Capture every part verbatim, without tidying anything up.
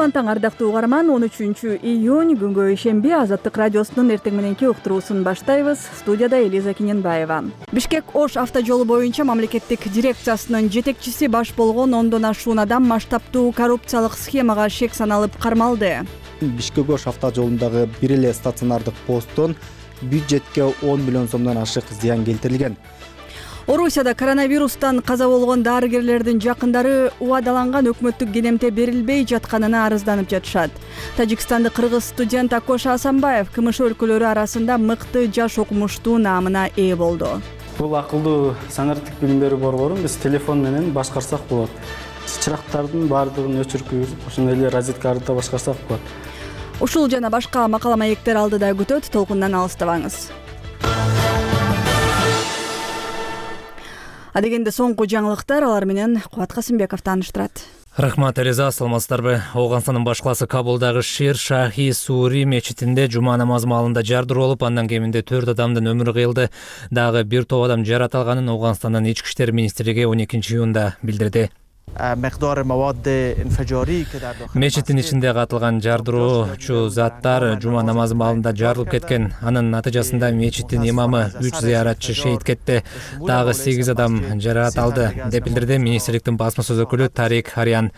кутман таң ардактуу угарман. он үчүнчү июнь күнгө ишемби Азаттык радиосунун эртең мененки уктуруусун баштайбыз. Студияда Элиза Киненбаева. Бишкек-Ош автожолу боюнча мамлекеттик дирекциясынын жетекчиси баш болгон ондон ашуун адам масштабтуу коррупциялык схемага шек саналып кармалды. Бишкек-Ош автожолундагы бир эле стационардык посттон бюджетке он миллион сомдон ашык зыян келтирилген. Орусияда коронавирустан каза болгон дарыгерлердин жакындары убадаланган өкмөттүк кенемте берилбей жатканына арызданып жатышат. Тажикстандык кыргыз студент Акош Асанбаев КМШ өлкөлөрү арасында мыкты жаш окумуштуу наамына ээ болду. Бул акылдуу санариптик билим берүү борборун биз телефон менен башкарсак болот. Чырактардын баардыгын өчүрүп, ошондой эле розетка арыта башкарсак болот. Ушул жана башка макала маектер алдыда күтөт, толкундан алыстабаңыз. Адегенде соңку жаңылыктар, алар менен Кубат Касымбеков тааныштырат. Рахмат, Элиза, саламатсыздарбы? Ауганстандын баш калаасы Кабулдагы Шир Шахи Сури мечитинде жума намазы маалында жардыруу болуп, андан кеминде төрт адамдын өмүрү кыйылды. Дагы бир топ адам жаратылганын Ауганстандын ички иштер министрлиги он экинчи июнда билдирди. Мечиттин ичинде катылган жардыруучу заттар жума намазы маалында жарылып кеткен. Анын натыйжасында мечиттин имамы, үч зыяратчы шейит кетти. Дагы сегиз адам жаракат алды, деп билдирди министрликтин басма сөз өкүлү Тарик Харян.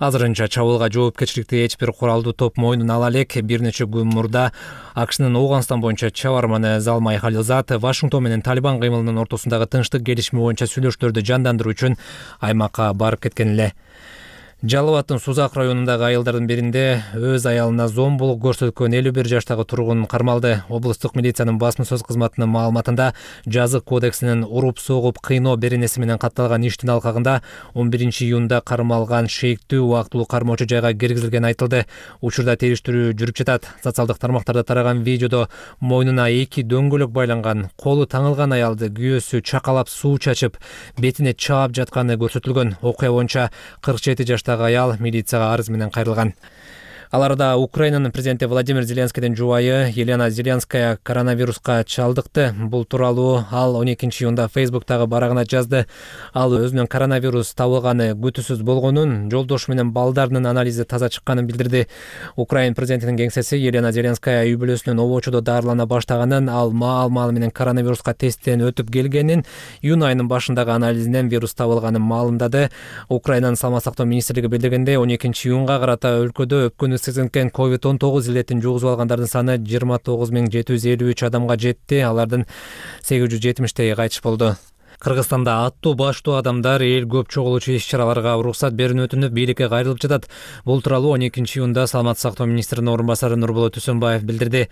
Азырынча чабуулга жоопкерчиликти эч бир куралдуу топ мойнуна ала элек. Бир нече күн мурда АКШнын Ауганстан боюнча чабарманы Залмай Халилзад Вашингтон менен Талибан кыймылынын ортосундагы тынчтык келишими боюнча сүйлөшүүлөрдү жандандыруу үчүн аймакка барып кеткен эле. Жалал Абадтын Сузак районундагы айылдардын биринде өз аялына зомбулук көрсөткөн элүү бир жаштагы тургун кармалды. Облустук милициянын басма сөз кызматынын маалыматында жазык кодексинин уруп согуп кыйноо беренеси менен катталган иштин алкагында он биринчи июнда кармалган шейиктүү убактылуу кармоочу жайга киргизилгени айтылды. Учурда териштирүү жүрүп жатат. Социалдык тармактарда тараган видеодо мойнуна эки дөңгөлөк байланган, колу таңылган аялды күйөөсү чакалап суу чачып, бетине чаап жатканы көрсөтүлгөн. Окуя боюнча кырк жети жаштагы аял милицияга арыз менен кайрылган. Аларда Украинанын президенти Владимир Зеленскийдин жубайы Елена Зеленская коронавируска чалдыкты. Бул тууралуу ал он экинчи июнда Фейсбуктагы барагына жазды. Ал өзүнүн коронавирус табылганы күтүүсүз болгонун, жолдошу менен балдарынын анализи таза чыкканын билдирди. Украин президентинин кеңсеси Елена Зеленская үй бүлөсүнүн обочодо дарылана баштаганын, ал маал-маал менен коронавируска тесттен өтүп келгенин, июнь айынын башындагы анализинен вирус табылганын маалымдады. Украинанын саламат сактоо министрлиги билдиргендей, он экинчи июнга карата өлкөдө өпкөнү сезинген ковид он тогуз илетин жугузуп алгандардын саны жыйырма тогуз миң жети жүз элүү үч адамга жетти. Алардын сегиз жүз жетимиштеги кайтыш болду. Кыргызстанда аттуу баштуу адамдар эл көп чогулуучу иш-чараларга уруксат берүүнү өтүнүп, бийликке кайрылып жатат. Бул тууралуу он экинчи июнда саламат сактоо министринин орун басары Нурболот Үсөнбаев билдирди.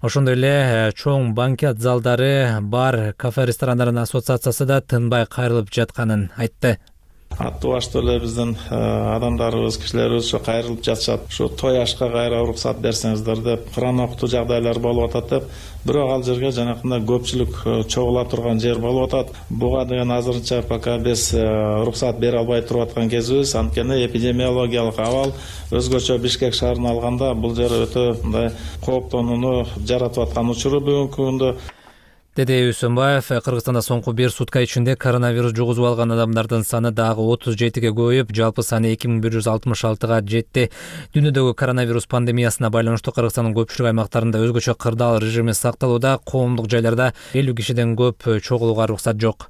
Ошондой эле чоң банкет залдары, бар, кафе, ресторандардын ассоциациясы да тынбай кайрылып жатканын айтты. Аттуу баштуу эле биздин адамдарыбыз, кишилерибиз ошо кайрылып жатышат. Ушу той ашка кайра уруксат берсеңиздер деп, Куран окутуу жагдайлар болуп атат деп, бирок ал жерге жанакындай көпчүлүк чогула турган жер болуп атат. Буга деген азырынча пока биз уруксат бере албай туруп аткан кезибиз. Анткени эпидемиологиялык абал өзгөчө Бишкек шаарына алганда бул жер өтө мындай кооптонууну жаратып аткан учуру бүгүнкү күндө. Деди Үсөнбаев, Кыргызстанда соңку бир сутка ичинде коронавирус жугузуп алган адамдардын саны дагы отуз жетиге көбөйүп, жалпы саны эки миң бир жүз алтымыш алтыга жетти. Дүйнөдөгү коронавирус пандемиясына байланыштуу Кыргызстандын көпчүлүк аймактарында өзгөчө кырдаал режими сакталууда, коомдук жайларда элүү кишиден көп чогулууга уруксат жок.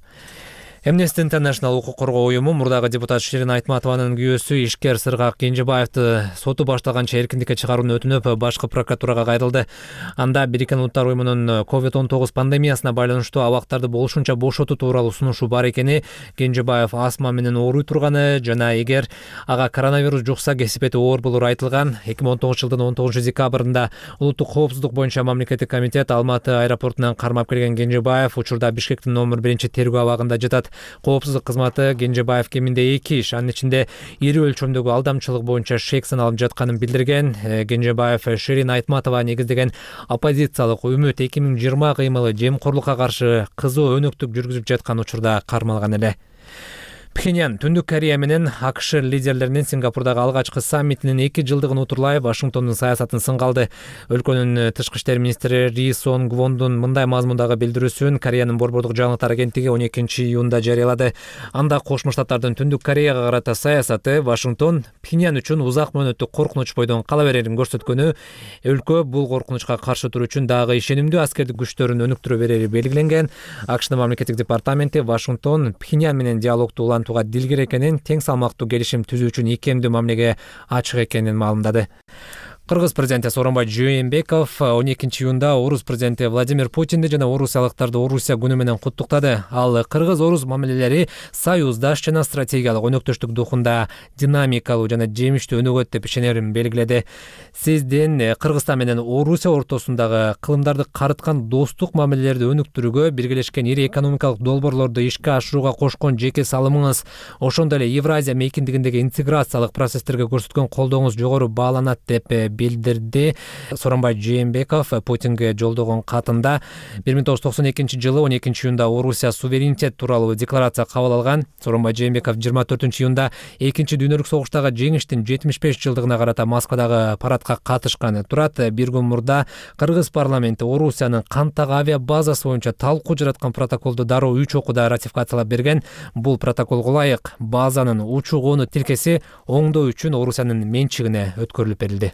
Amnesty International укук коргоо уюму мурдагы депутат Ширин Айтматованын күйөөсү ишкер Сыргак Кенжебаевди соту башталганча эркиндикке чыгарууну өтүнүп, башкы прокуратурага кайрылды. Анда Бириккен Улуттар уюмунун ковид он тогуз пандемиясына байланыштуу абактарды болушунча бошотуу тууралуу сунушу бар экени, Кенжебаев астма менен ооруй турганы жана эгер ага коронавирус жукса кесипети оор болору айтылган. эки миң он тогузунчу жылдын он тогузунчу декабрында Улуттук коопсуздук боюнча мамлекеттик комитет Алматы аэропортунан кармап келген Кенжебаев учурда Бишкектин номер биринчи тергөө абагында жатат. Коопсуздук кызматы Кенжебаев кеминде эки иш, анын ичинде ири өлчөмдөгү алдамчылык боюнча шек саналып жатканын билдирген. Кенжебаев Ширин Айтматова негиздеген оппозициялык Үмүт эки миң жыйырма кыймылы жемкорлукка каршы кызуу өнөктүк жүргүзүп жаткан учурда кармалган эле. Пхеньян Түндүк Корея менен АКШ лидерлеринин Сингапурдагы алгачкы саммитинин эки жылдыгын утурлай Вашингтондун саясатын сынга алды. Өлкөнүн тышкы иштер министри Ри Сон Гвондун мындай мазмундагы билдирүүсүн Кореянын борбордук жаңылыктар агенттиги он экинчи июнда жарыялады. Анда Кошмо Штаттардын Түндүк Кореяга карата саясаты Вашингтон Пхеньян үчүн узак мөөнөттүк коркунуч бойдон кала берерин көрсөткөнү, өлкө бул коркунучка каршы туруу үчүн дагы ишенимдүү аскердик күчтөрүн өнүктүрө берери белгиленген. АКШнын мамлекеттик департаменти Вашингтон Пхеньян менен диалогду улантууга дилгер экенин, тең салмактуу келишим түзүү үчүн икемдүү мамилеге ачык экенин маалымдады. Кыргыз президенти Сооронбай Жээнбеков он экинчи июнда Орус президенти Владимир Путинди жана орусиялыктарды Орусия күнү менен куттуктады. Ал кыргыз-орус мамилелери союздаш жана стратегиялык өнөктөштүк духунда динамикалуу жана жемиштүү өнүгөт деп ишенерин белгиледи. Сиздин Кыргызстан менен Орусия ортосундагы кылымдарды карыткан достук мамилелерди өнүктүрүүгө, биргелешкен ири экономикалык долбоорлорду ишке ашырууга кошкон жеке салымыңыз, ошондой эле Евразия мейкиндигиндеги интеграциялык процесстерге көрсөткөн колдооңуз жогору бааланат деп билдирди. Сооронбай Жээнбеков Путинге жолдогон катында бир миң тогуз жүз токсон экинчи жылы он экинчи июнда Орусия суверенитет тууралуу декларация кабыл алган. Сооронбай Жээнбеков жыйырма төртүнчү июнда экинчи дүйнөлүк согуштагы жеңиштин жетимиш беш жылдыгына карата Москвадагы парадка катышкан. Турат бир күн мурда Кыргыз парламенти Орусиянын Кантак авиа базасы боюнча талкуу жараткан протоколду дароо үч окууда ратификациялап берген. Бул протоколго ылайык базанын учуу-конуу тилкеси оңдоо үчүн Орусиянын менчигине өткөрүлүп берилди.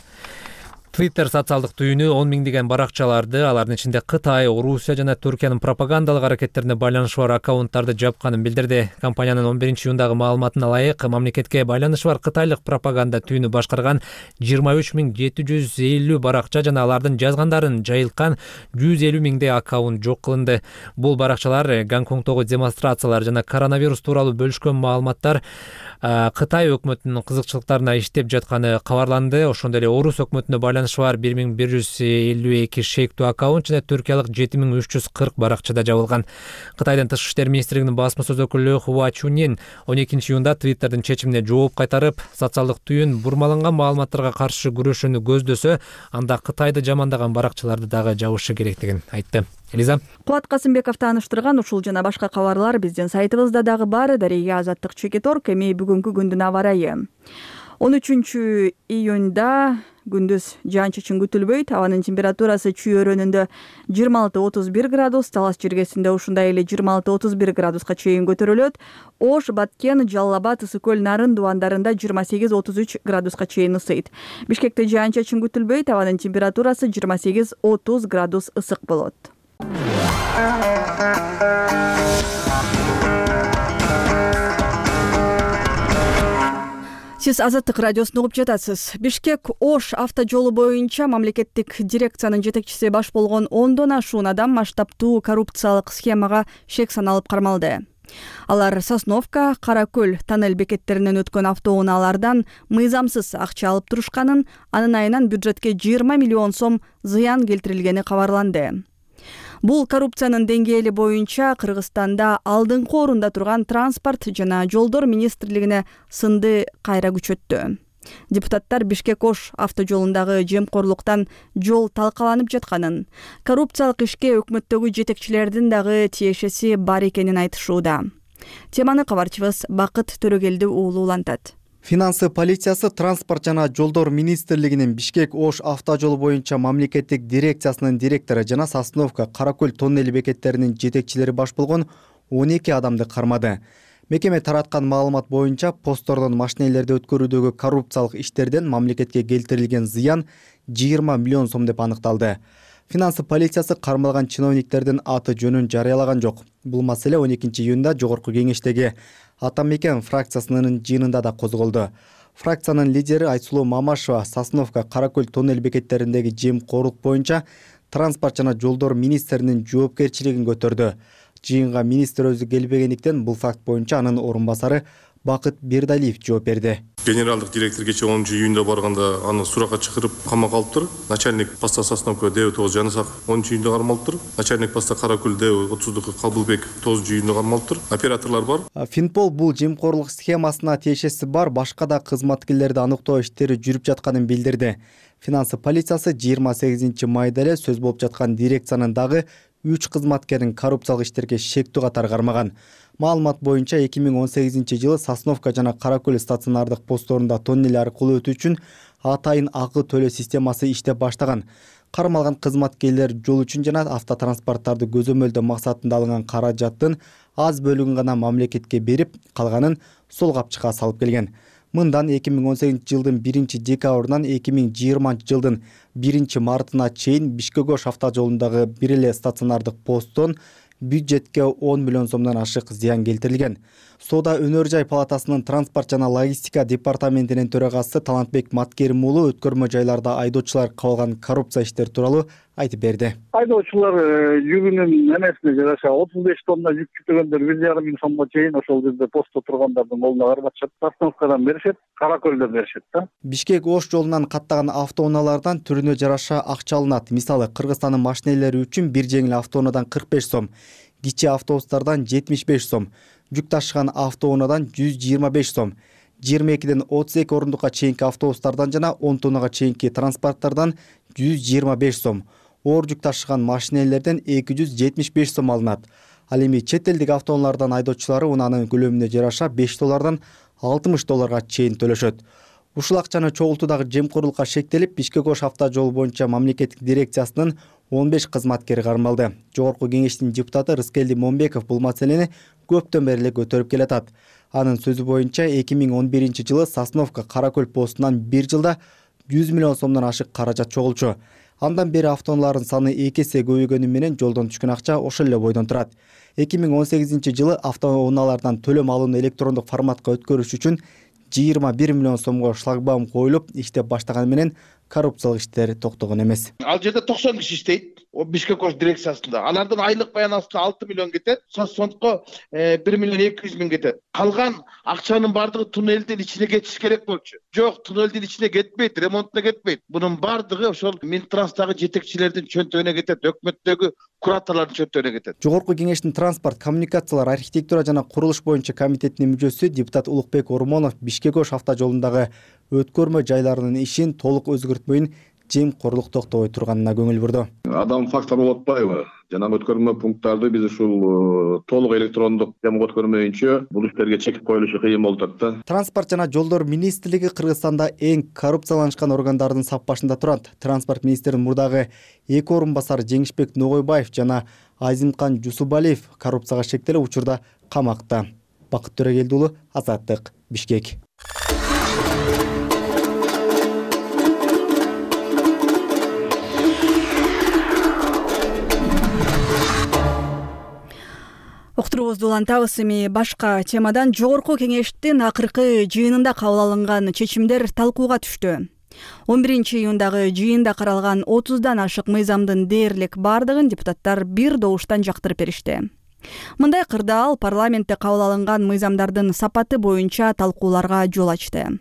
Twitter социалдык түйүнү он миңдеген баракчаларды, алардын ичинде Кытай, Орусия жана Түркиянын пропагандалык аракеттерине байланышы бар аккаунттарды жапканын билдирди. Компаниянын он биринчи июндагы маалыматына ылайык, мамлекетке байланышы бар кытайлык пропаганда түйүнү башкарган жыйырма үч миң жети жүз элүү баракча жана алардын жазгандарын жайылткан жүз элүү миңдей аккаунт жок кылынды. Бул баракчалар Гонконгдогу демонстрациялар жана коронавирус тууралуу бөлүшкөн маалыматтар Кытай өкмөтүнүн кызыкчылыктарына иштеп жатканы кабарланды. Ошондой эле Орус өкмөтүнө байланышы бар бир миң бир жүз элүү эки шектүү аккаунт жана түркиялык жети миң үч жүз кырк баракчада жабылган. Кытайдын тышкы иштер министрлигинин басма сөз өкүлү Хуа Чунин он экинчи июнда Twitter'дын чечимине жооп кайтарып, социалдык түйүн бурмаланган маалыматтарга каршы күрөшүүнү көздөсө, анда Кытайды жамандаган баракчаларды дагы жабышы керектигин айтты. Элиза. Кулат Касымбеков тааныштырган ушул жана башка кабарлар биздин сайтыбызда дагы бар. Дария Азаттык чекит точка орг. Эми бүгүнкү күндүн аба ырайы. он үчүнчү июнда күндүз жаан-чачын күтүлбөйт. Абанын температурасы Чүй өрөөнүндө жыйырма алты отуз бир градус, Талас жергесинде ушундай эле жыйырма алты отуз бир градуска чейин көтөрүлөт. Ош, Баткен, Жалал Абад, Ысык көл, Нарын дубандарында жыйырма сегиз отуз үч градуска чейин ысыйт. Бишкекте жаан-чачын күтүлбөйт. Абанын температурасы жыйырма сегиз отуз градус ысык болот. Сиз Азаттык радиосун угуп жатасыз. Бишкек-Ош автожолу боюнча мамлекеттик дирекциянын жетекчиси баш болгон ондон ашуун адам масштабтуу коррупциялык схемага шек саналып кармалды. Алар Сосновка, Кара көл тоннель бекеттеринен өткөн автоунаалардан мыйзамсыз акча алып турушканын, анын айынан бюджетке жыйырма миллион сом зыян келтирилгени кабарланды. Бул коррупциянын деңгээли боюнча Кыргызстанда алдыңкы орунда турган транспорт жана жолдор министрлигине сынды кайра күчөттү. Депутаттар Бишкек-Ош автожолундагы жемкорлуктан жол талкаланып жатканын, коррупциялык ишке өкмөттөгү жетекчилердин дагы тиешеси бар экенин айтышууда. Теманы кабарчыбыз Бакыт Төрөгелди уулу улантат. Финансы полициясы транспорт жана жолдор министрлигинин Бишкек-Ош автожолу боюнча мамлекеттик дирекциясынын директору жана Сосновка, Кара көл тоннели бекеттеринин жетекчилери баш болгон он эки адамды кармады. Мекеме тараткан маалымат боюнча посттордон машинелерди өткөрүүдөгү коррупциялык иштерден мамлекетке келтирилген зыян жыйырма миллион сом деп аныкталды. Финансы полициясы кармалган чиновниктердин аты жөнүн жарыялаган жок. Бул маселе он экинчи июнда жогорку кеңештеги Атамекен фракциясынын жыйынында да козголду. Фракциянын лидери Айсулуу Мамашева Сосновка, Кара көл тоннель бекеттериндеги жемкорлук боюнча транспорт жана жолдор министринин жоопкерчилигин көтөрдү. Жыйынга министр өзү келбегендиктен бул факт боюнча анын орун басары Бакыт Бердалиев жооп берди. Генералдык директор кече онунчу июнда барганда аны суракка чакырып камакка алыптыр. Начальник поста Сосновка Д тогуз Жанысак онунчу июнда кармалыптыр. Начальник поста Кара көл Д отуздуку Калбылбек тогузунчу июнда кармалыптыр. Операторлор бар. Финпол бул жемкорлук схемасына тиешеси бар башка да кызматкерлерди аныктоо иштери жүрүп жатканын билдирди. Финансы полициясы жыйырма сегизинчи майда эле сөз болуп жаткан дирекциянын дагы үч кызматкерин коррупциялык иштерге шектүү катары кармаган. Маалымат боюнча эки миң он сегизинчи жылы Сосновка жана Каракөл стационардык постторунда тоннель аркылуу өтүү үчүн атайын акы төлөө системасы иштеп баштаган. Кармалган кызматкерлер жол үчүн жана автотранспорттарды көзөмөлдөө максатында алынган каражаттын аз бөлүгүн гана мамлекетке берип, калганын сол капчыкка салып келген. Мындан эки миң он сегизинчи жылдын биринчи декабрынан эки миң жыйырманчы жылдын биринчи мартына чейин Бишкек-Ош автожолундагы бир эле стационардык посттон бюджетке он миллион сомдон ашык зыян келтирилген. Соода өнөр жай палатасынын транспорт жана логистика департаментинин төрагасы Талантбек Маткерим уулу өткөрмө жайларда айдоочулар кабылган коррупция иштери тууралуу айтып берди. Айдоочулар жүгүнүн эмесине жараша отуз беш тонна жүк жүктөгөндөр бир жарым миң сомго чейин ошол жерде постто тургандардын колуна карматышат. Сосновкадан беришет, Каракөлдөн беришет да. Бишкек-Ош жолунан каттаган автоунаалардан түрүнө жараша акча алынат. Мисалы, Кыргызстандын машинелери үчүн бир жеңил автоунаадан кырк беш сом, кичи автобустардан жетимиш беш сом, жүк ташыган автоунаадан жүз жыйырма беш сом, жыйырма экиден отуз эки орундукка чейинки автобустардан жана он тоннага чейинки транспорттардан жүз жыйырма беш сом, оор жүк ташыган машинелерден эки жүз жетимиш беш сом алынат. Ал эми чет элдик автоунаалардан айдоочулары унаанын көлөмүнө жараша беш доллардан алтымыш долларга чейин төлөшөт. Ушул акчаны чогултуудагы жемкорлукка шектелип, Бишкек-Ош автожол боюнча мамлекеттик дирекциясынын он беш кызматкери кармалды. Жогорку кеңештин депутаты Рыскелди Момбеков бул маселени көптөн бери эле көтөрүп келатат. Анын сөзү боюнча эки миң он биринчи жылы Сосновка Каракөл постунан бир жылда жүз миллион сомдон ашык каражат чогулчу. Андан бери автоунаалардын саны эки эсе көбөйгөнү менен жолдон түшкөн акча ошол эле бойдон турат. эки миң он сегизинчи жылы автоунаалардан төлөм алууну электрондук форматка өткөрүш үчүн жыйырма бир миллион сомго шлагбаум коюлуп иштеп баштаганы менен коррупциялык иштер токтогон эмес. Ал жерде токсон киши иштейт. Бишкек-Ош дирекциясында. Алардын айлык баянасына алты миллион кетет, соцфондко бир миллион эки жүз миң кетет. Калган акчанын бардыгы туннелдин ичине кетиш керек болчу. Жок, туннелдин ичине кетпейт, ремонтуна кетпейт. Бунун бардыгы ошол Минтранстагы жетекчилердин чөнтөгүнө кетет, өкмөттөгү кураторлордун чөнтөгүнө кетет. Жогорку кеңештин транспорт, коммуникациялар, архитектура жана курулуш боюнча комитетинин мүчөсү депутат Улукбек Ормонов Бишкек-Ош автожолундагы өткөрмө жайларынын ишин толук өзгөртмөйүн жемкорлук токтобой турганына көңүл бурду. Адам фактор болуп атпайбы? Жана өткөрмө пункттарды биз ушул толук электрондук жамгы өткөрмөйүнчө бул иштерге чек коюлушу кыйын болуп атат да. Транспорт жана жолдор министрлиги Кыргызстанда эң коррупцияланышкан органдардын сап башында турат. Транспорт министринин мурдагы эки орун басары Жеңишбек Ногойбаев жана Азимкан Жусубалиев коррупцияга шектелип учурда камакта. Бакыт Төрөгелди уулу, Азаттык, Бишкек. Уктуруубузду улантабыз. Эми башка темадан жогорку кеңештин акыркы жыйынында кабыл алынган чечимдер талкууга түштү. он биринчи июндагы жыйында каралган отуздан ашык мыйзамдын дээрлик бардыгын депутаттар бир добуштан жактырып беришти. Мындай кырдаал парламентте кабыл алынган мыйзамдардын сапаты боюнча талкууларга жол ачты.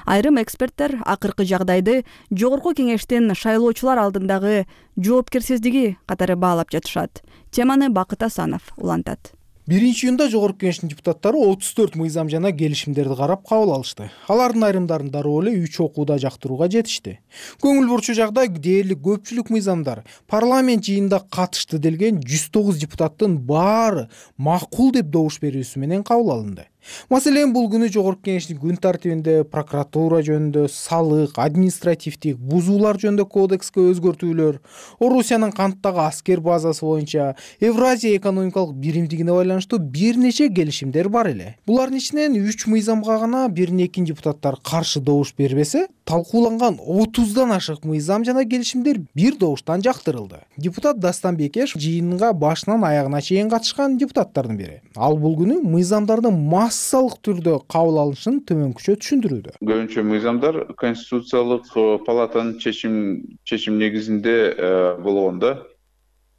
Айрым эксперттер акыркы жагдайды жогорку кеңештин шайлоочулар алдындагы жоопкерсиздиги катары баалап жатышат. Теманы Бакыт Асанов улантат. биринчи июнда жогорку кеңештин депутаттары отуз төрт мыйзам жана келишимдерди карап кабыл алышты. Алардын айрымдарын дароо эле үч окууда жактырууга жетишти. Көңүл бурчу жагдай дээрлик көпчүлүк мыйзамдар парламент жыйынында катышты делген жүз тогуз депутаттын баары макул деп добуш берүүсү менен кабыл алынды. Маселен, бул күнү жогорку кеңештин күн тартибинде прокуратура жөнүндө, салык, административдик бузуулар жөнүндө кодекске өзгөртүүлөр, Орусиянын канттагы аскер базасы боюнча Евразия экономикалык биримдигине байланыштуу бир нече келишимдер бар эле. Булардын ичинен үч мыйзамга гана бир экин депутаттар каршы добуш бербесе, талкууланган отуздан ашык мыйзам жана келишимдер бир добуштан жактырылды. Депутат Дастан Бекешев жыйынга башынан аягына чейин катышкан депутаттардын бири. Ал бул күнү мыйзамдардын массалык түрдө кабыл алынышын төмөнкүчө түшүндүрүүдө. Көбүнчө мыйзамдар конституциялык палатанын чечим чечим негизинде болгондо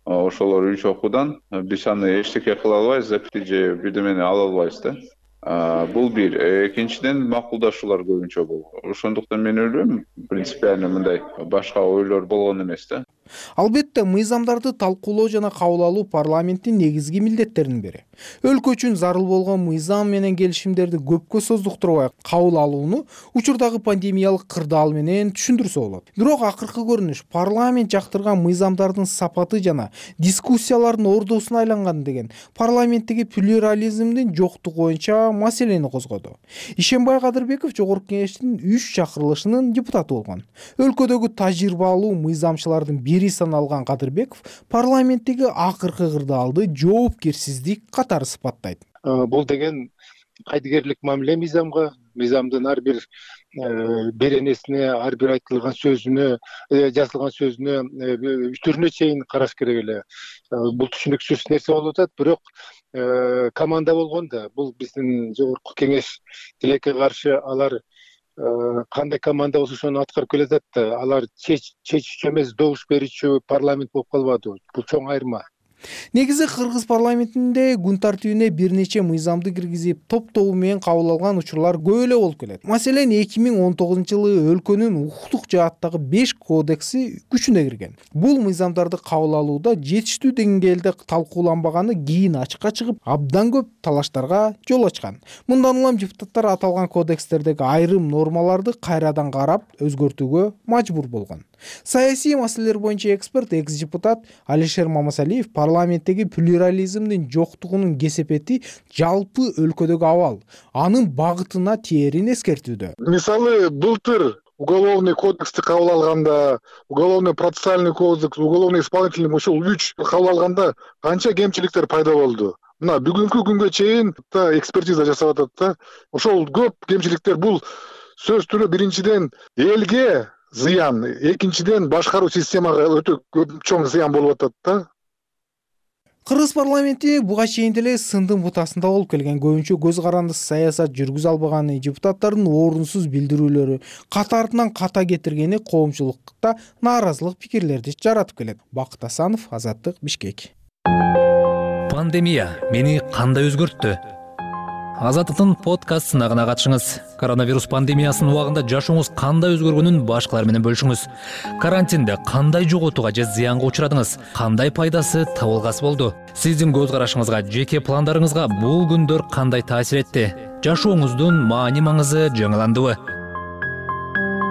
ошолор үч окуудан биз аны эчтеке кыла албайбыз, же бирдемени ала албайбыз да. Бул бир. Экинчиден макулдашуулар көбүнчө болду. Ошондуктан мен ойлойм, принципиально мындай башка ойлор болгон эмес да. Албетте, мыйзамдарды талкуулоо жана кабыл алуу парламенттин негизги милдеттеринин бири. Өлкө үчүн зарыл болгон мыйзам менен келишимдерди көпкө создуктурбай кабыл алууну учурдагы пандемиялык кырдаал менен түшүндүрсө болот. Бирок акыркы көрүнүш парламент жактырган мыйзамдардын сапаты жана дискуссиялардын ордосуна айланган деген парламенттеги плюрализмдин жоктугу боюнча маселени козгоду. Ишенбай Кадырбеков Жогорку Кеңештин үч чакырылышынын депутаты болгон. Өлкөдөгү тажрыйбалуу мыйзамчылардын бири саналган Кадырбеков парламенттеги акыркы кырдаалды жоопкерсиздик катары сыпаттайт. Бул деген кайдыгерлик мамиле мыйзамга, мыйзамдын ар бир беренесине, ар бир айтылган сөзүнө, жазылган сөзүнө, түрүнө чейин караш керек эле. Бул түшүнүксүз нерсе болуп атат, бирок команда болгондо бул биздин Жогорку Кеңеш тилекке каршы алар кандай команда болсо ошону аткарып келатат да, алар чечүүчү эмес, добуш берүүчү парламент болуп калбады. Бул чоң айырма. Негизи кыргыз парламентинде күн тартибине бир нече мыйзамды киргизип, топ-тобу менен кабыл алган учурлар көп эле болуп келет. Маселен, эки миң он тогузунчу жылы өлкөнүн укуктук жааттагы беш кодекси күчүнө кирген. Бул мыйзамдарды кабыл алууда жетиштүү деңгээлде талкууланбаганы кийин ачыкка чыгып, абдан көп талаштарга жол ачкан. Мындан улам депутаттар аталган кодекстердеги айрым нормаларды кайрадан карап, өзгөртүүгө мажбур болгон. Саясий маселелер боюнча эксперт, экс-депутат Алишер Мамасалиев парламенттеги плюрализмдин жоктугунун кесепети жалпы өлкөдөгү абал, анын багытына тээрин эскертүүдө. Мисалы, былтыр уголовный кодексти кабыл алганда, уголовный процессуальный кодекс, уголовный исполнительный ушул үч кабыл алганда канча кемчиликтер пайда болду. Мына бүгүнкү күнгө чейин экспертиза жасап атат да. Ошол көп кемчиликтер бул сөз түрү биринчиден элге зыян, экинчиден башкаруу системага өтө көп чоң зыян болуп атат да. Кыргыз парламенти буга чейин деле сындын бутасында болуп келген, көбүнчө көз карандысыз саясат жүргүзө албаганы, депутаттардын орунсуз билдирүүлөрү катартынан ката кетиргени коомчулукта нааразылык пикирлерди жаратып келет. Бакыт Асанов, Азаттык, Бишкек. Пандемия мени кандай өзгөрттү? Азаттыктын подкаст сынагына катышыңыз. Коронавирус пандемиясынын убагында жашооңуз кандай өзгөргөнүн башкалар менен бөлүшүңүз. Карантинде кандай жоготууга же зыянга учурадыңыз? Кандай пайдасы, табылгасы болду? Сиздин көз карашыңызга, жеке пландарыңызга бул күндөр кандай таасир этти? Жашооңуздун маани маңызы жаңыландыбы?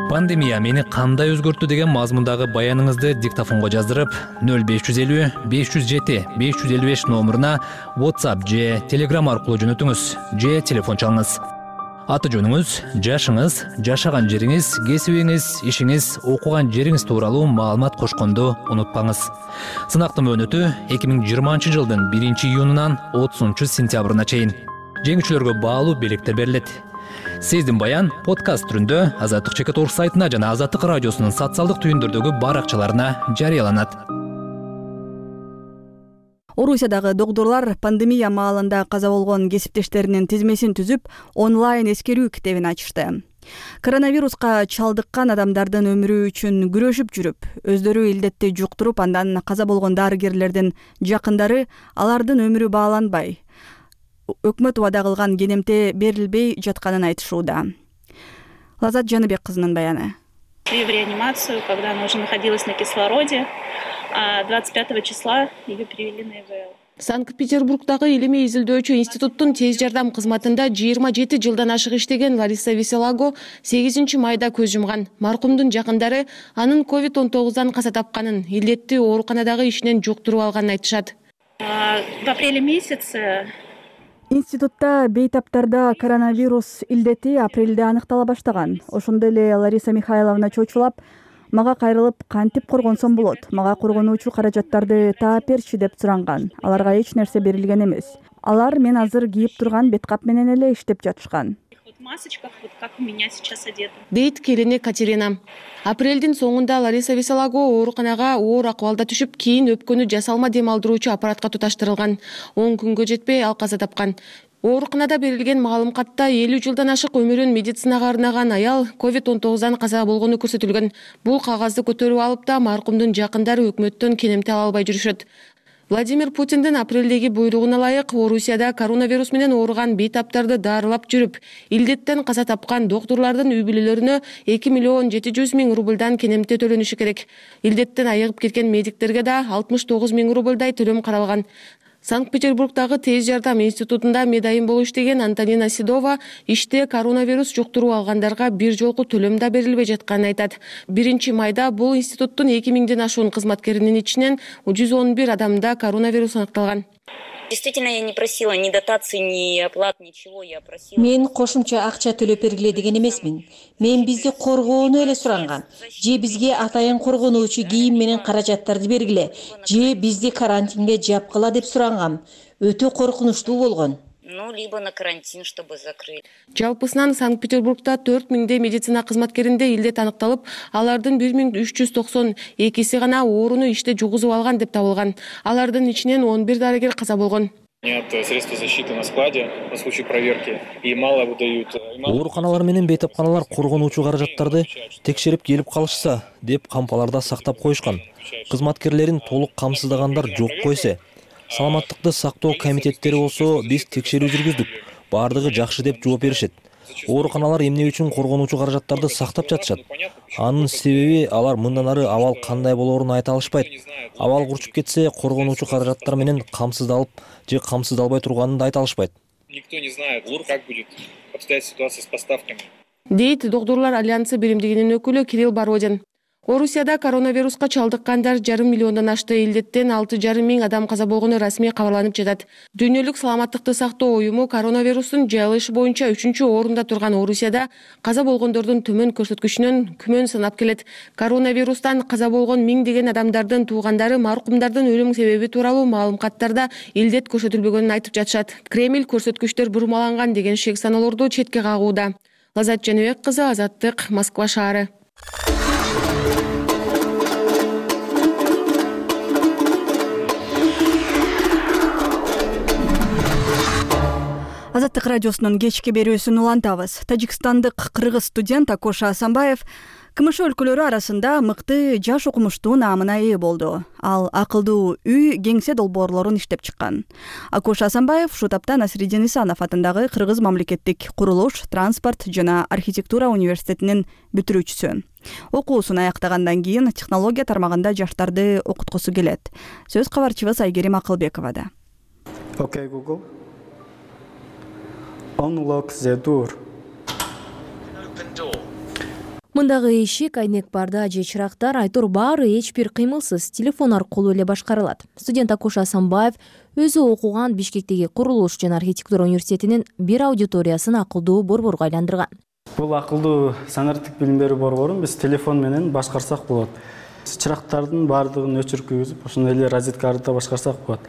Пандемия мени кандай өзгөрттү деген мазмундагы баяныңызды диктофонго жаздырып, нөл беш жүз элүү беш жүз жети беш жүз элүү беш номуруна WhatsApp же Telegram аркылуу жөнөтүңүз, же телефон чалыңыз. Аты жөнүңүз, жашыңыз, жашаган жериңиз, кесибиңиз, ишиңиз, окуган жериңиз тууралуу маалымат кошконду унутпаңыз. Сынактын мөөнөтү эки миң жыйырманчы жылдын биринчи июнунан отузунчу сентябрына чейин. Жеңүүчүлөргө баалуу белектер берилет. Сиздин баян подкаст түрүндө Азаттык чекит орг сайтына жана Азаттык радиосунун социалдык түйүндөрдөгү баракчаларына жарыяланат. Орусиядагы доктурлар пандемия маалында каза болгон кесиптештеринин тизмесин түзүп, онлайн эскерүү китебин ачышты. Коронавируска чалдыккан адамдардын өмүрү үчүн күрөшүп жүрүп, өздөрү илдетти жуктуруп, андан каза болгон дарыгерлердин жакындары алардын өмүрү бааланбай, өкмөт убада кылган кенемте берилбей жатканын айтышууда. Лазат Жаныбек кызынын баяны. В реанимацию, когда она уже находилась на кислороде, а двадцать пятого числа ее перевели на ИВЛ. Санкт-Петербургдагы илимий изилдөөчү институттун тез жардам кызматында жыйырма жети жылдан ашык иштеген Лариса Веселаго сегизинчи майда көз жумган. Маркумдун жакындары анын ковид он тогуздан каза тапканын, илдетти ооруканадагы ишинен жуктуруп алганын айтышат. В апреле месяце Институтта бейтаптарда коронавирус илдети апрелде аныктала баштаган. Ошондой эле Лариса Михайловна чочулап, мага кайрылып кантип коргонсом болот? Мага коргонуучу каражаттарды таап берчи деп суранган. Аларга эч нерсе берилген эмес. Алар мен азыр кийип турган беткап менен эле иштеп жатышкан. Масочках, вот как у меня сейчас одета. Дейт келини Катерина. Апрелдин соңунда Лариса Веселаго ооруканага оор акыбалда түшүп, кийин өпкөнү жасалма дем алдыруучу аппаратка туташтырылган. он күнгө жетпей ал каза тапкан. Ооруканада берилген маалым катта элүү жылдан ашык өмүрүн медицинага арнаган аял ковид он тогуздан каза болгону көрсөтүлгөн. Бул кагазды көтөрүп алып да маркумдун жакындары өкмөттөн кенемте ала албай жүрүшөт. Владимир Путиндин апрелдеги буйругуна ылайык Орусияда коронавирус менен ооруган бейтаптарды даарылап жүрүп, илдеттен каза тапкан доктурлардын үй бүлөлөрүнө эки миллион жети жүз миң рубльдан кенемте төлөнүшү керек. Илдеттен айыгып кеткен медиктерге да алтымыш тогуз миң рубльдай төлөм каралган. Санкт-Петербургдагы тез жардам институтунда медайым болуп иштеген Антонина Седова иште коронавирус жуктуруп алгандарга бир жолку төлөм да берилбей жатканын айтат. биринчи майда бул институттун эки миңден ашуун кызматкеринин ичинен жүз он бир адамда коронавирус аныкталган. Действительно, я не просила ни дотаций, ни оплат, ничего. Я просила... Мен кошумча акча төлөп бергиле деген эмесмин. Мен бизди коргоону эле суранган. Же бизге атайын коргонуучу кийим менен каражаттарды бергиле. Же бизди карантинге жапкыла деп сурангам. Өтө коркунучтуу болгон. Ну, либо на карантин, чтобы закрыть. Жалпысынан Санкт-Петербургда төрт миңдей медицина кызматкеринде илдет аныкталып, алардын бир миң үч жүз токсон экиси гана ооруну иште жугузуп алган деп табылган. Алардын ичинен он бир дарыгер каза болгон. Нет средств защиты на складе на случай проверки и мало выдают. Ооруканалар менен бейтапканалар коргонуучу каражаттарды текшерип келип калышса деп кампаларда сактап коюшкан. Кызматкерлерин толук камсыздагандар жок койсо. Саламаттыкты сактоо комитеттери болсо биз текшерүү жүргүздүк. Бардыгы жакшы деп жооп беришет. Ооруканалар эмне үчүн коргонуучу каражаттарды сактап жатышат? Анын себеби алар мындан ары абал кандай болоорун айта алышпайт. Абал курчуп кетсе коргонуучу каражаттар менен камсыздалып же камсыздалбай турганын да айта алышпайт. Никто не знает, как будет обстоять ситуация с поставками. Дейт Доктурлар альянсы биримдигинин өкүлү Кирилл Бородин. Орусияда коронавируска чалдыккандар жарым миллиондон ашты. Илдеттен алты жарым миң адам каза болгону расмий кабарланып жатат. Дүйнөлүк саламаттыкты сактоо уюму коронавирустун жайылышы боюнча үчүнчү орунда турган Орусияда каза болгондордун төмөн көрсөткүчүнөн күмөн санап келет. Коронавирустан каза болгон миңдеген адамдардын туугандары маркумдардын өлүм себеби тууралуу маалымкаттарда илдет көрсөтүлбөгөнүн айтып жатышат. Кремль көрсөткүчтөр бурмаланган деген шек саноолорду четке кагууда. Лазат Жаныбек кызы, Азаттык, Москва шаары. Азаттык радиосунун кечки берүүсүн улантабыз. Тажикстандык кыргыз студент Акоша Асанбаев КМШ өлкөлөрү арасында мыкты жаш окумуштуу наамына ээ болду. Ал акылдуу үй кеңсе долбоорлорун иштеп чыккан. Акоша Асанбаев ушул тапта Насириддин Исанов атындагы Кыргыз мамлекеттик курулуш, транспорт жана архитектура университетинин бүтүрүүчүсү. Окуусун аяктагандан кийин технология тармагында жаштарды окуткусу келет. Сөз кабарчыбыз Айгерим Акылбековада. Окей, Google. Unlock the door. Мындагы эшик, айнек барда же чырактар айтор баары эч бир кыймылсыз телефон аркылуу эле башкарылат. Студент Акоша Асанбаев өзү окуган Бишкектеги курулуш жана архитектура университетинин бир аудиториясын акылдуу борборго айландырган. Бул акылдуу санариптик билим берүү борборун биз телефон менен башкарсак болот. Чырактардын баардыгын өчүрүп күйгүзүп, ошондой эле розетка аркылуу башкарсак болот.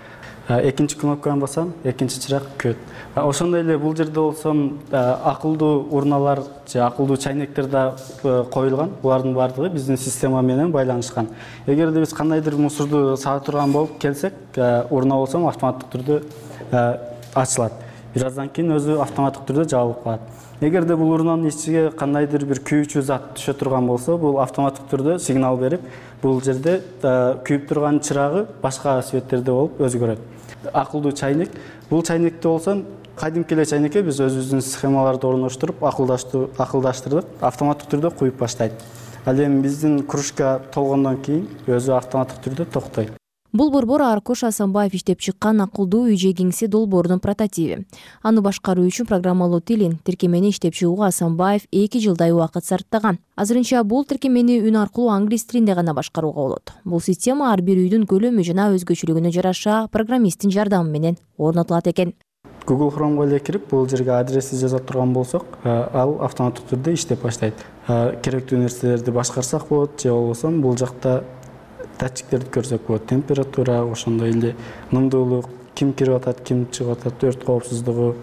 Экинчи кнопканы басам, экинчи чырак көт. Ошондой эле бул жерде болсом акылдуу урналар же акылдуу чайнектер да коюлган. Булардын баардыгы биздин система менен байланышкан. Эгерде биз кандайдыр мусорду сага турган болуп келсек, урна болсом автоматтык түрдө ачылат. Бир аздан кийин өзү автоматтык түрдө жабылып калат. Эгерде бул урнанын ичиге кандайдыр бир күйүүчү зат түшө турган болсо, бул автоматтык түрдө сигнал берип, бул жерде күйүп турган чырагы башка светтерде болуп өзгөрөт. Акылдуу чайнек. Бул чайнекте болсо, кадимки эле чайнекке биз өзүбүздүн схемаларды орноштуруп, акылдаштырдык, автоматтык түрдө куюп баштайт. Ал эми биздин кружка толгондон кийин өзү автоматтык түрдө токтойт. Бул борбор Акоша Асанбаев иштеп чыккан акылдуу үй же кеңсе долбоорунун прототиби. Аны башкаруу үчүн программалуу тилин, тиркемени иштеп чыгууга Асанбаев эки жылдай убакыт сарптаган. Азырынча бул тиркемени үн аркылуу англис тилинде гана башкарууга болот. Бул система ар бир үйдүн көлөмү жана өзгөчөлүгүнө жараша программисттин жардамы менен орнотулат экен. Google Chrome'го эле кирип, бул жерге адрести жаза турган болсок, ал автоматтык түрдө иштеп баштайт. Керектүү нерселерди башкарсак болот, же болбосо бул жакта датчиктерди көрсөк болот. Температура, ошондой эле нымдуулук, ким кирип атат, ким чыгып атат, өрт коопсуздугу,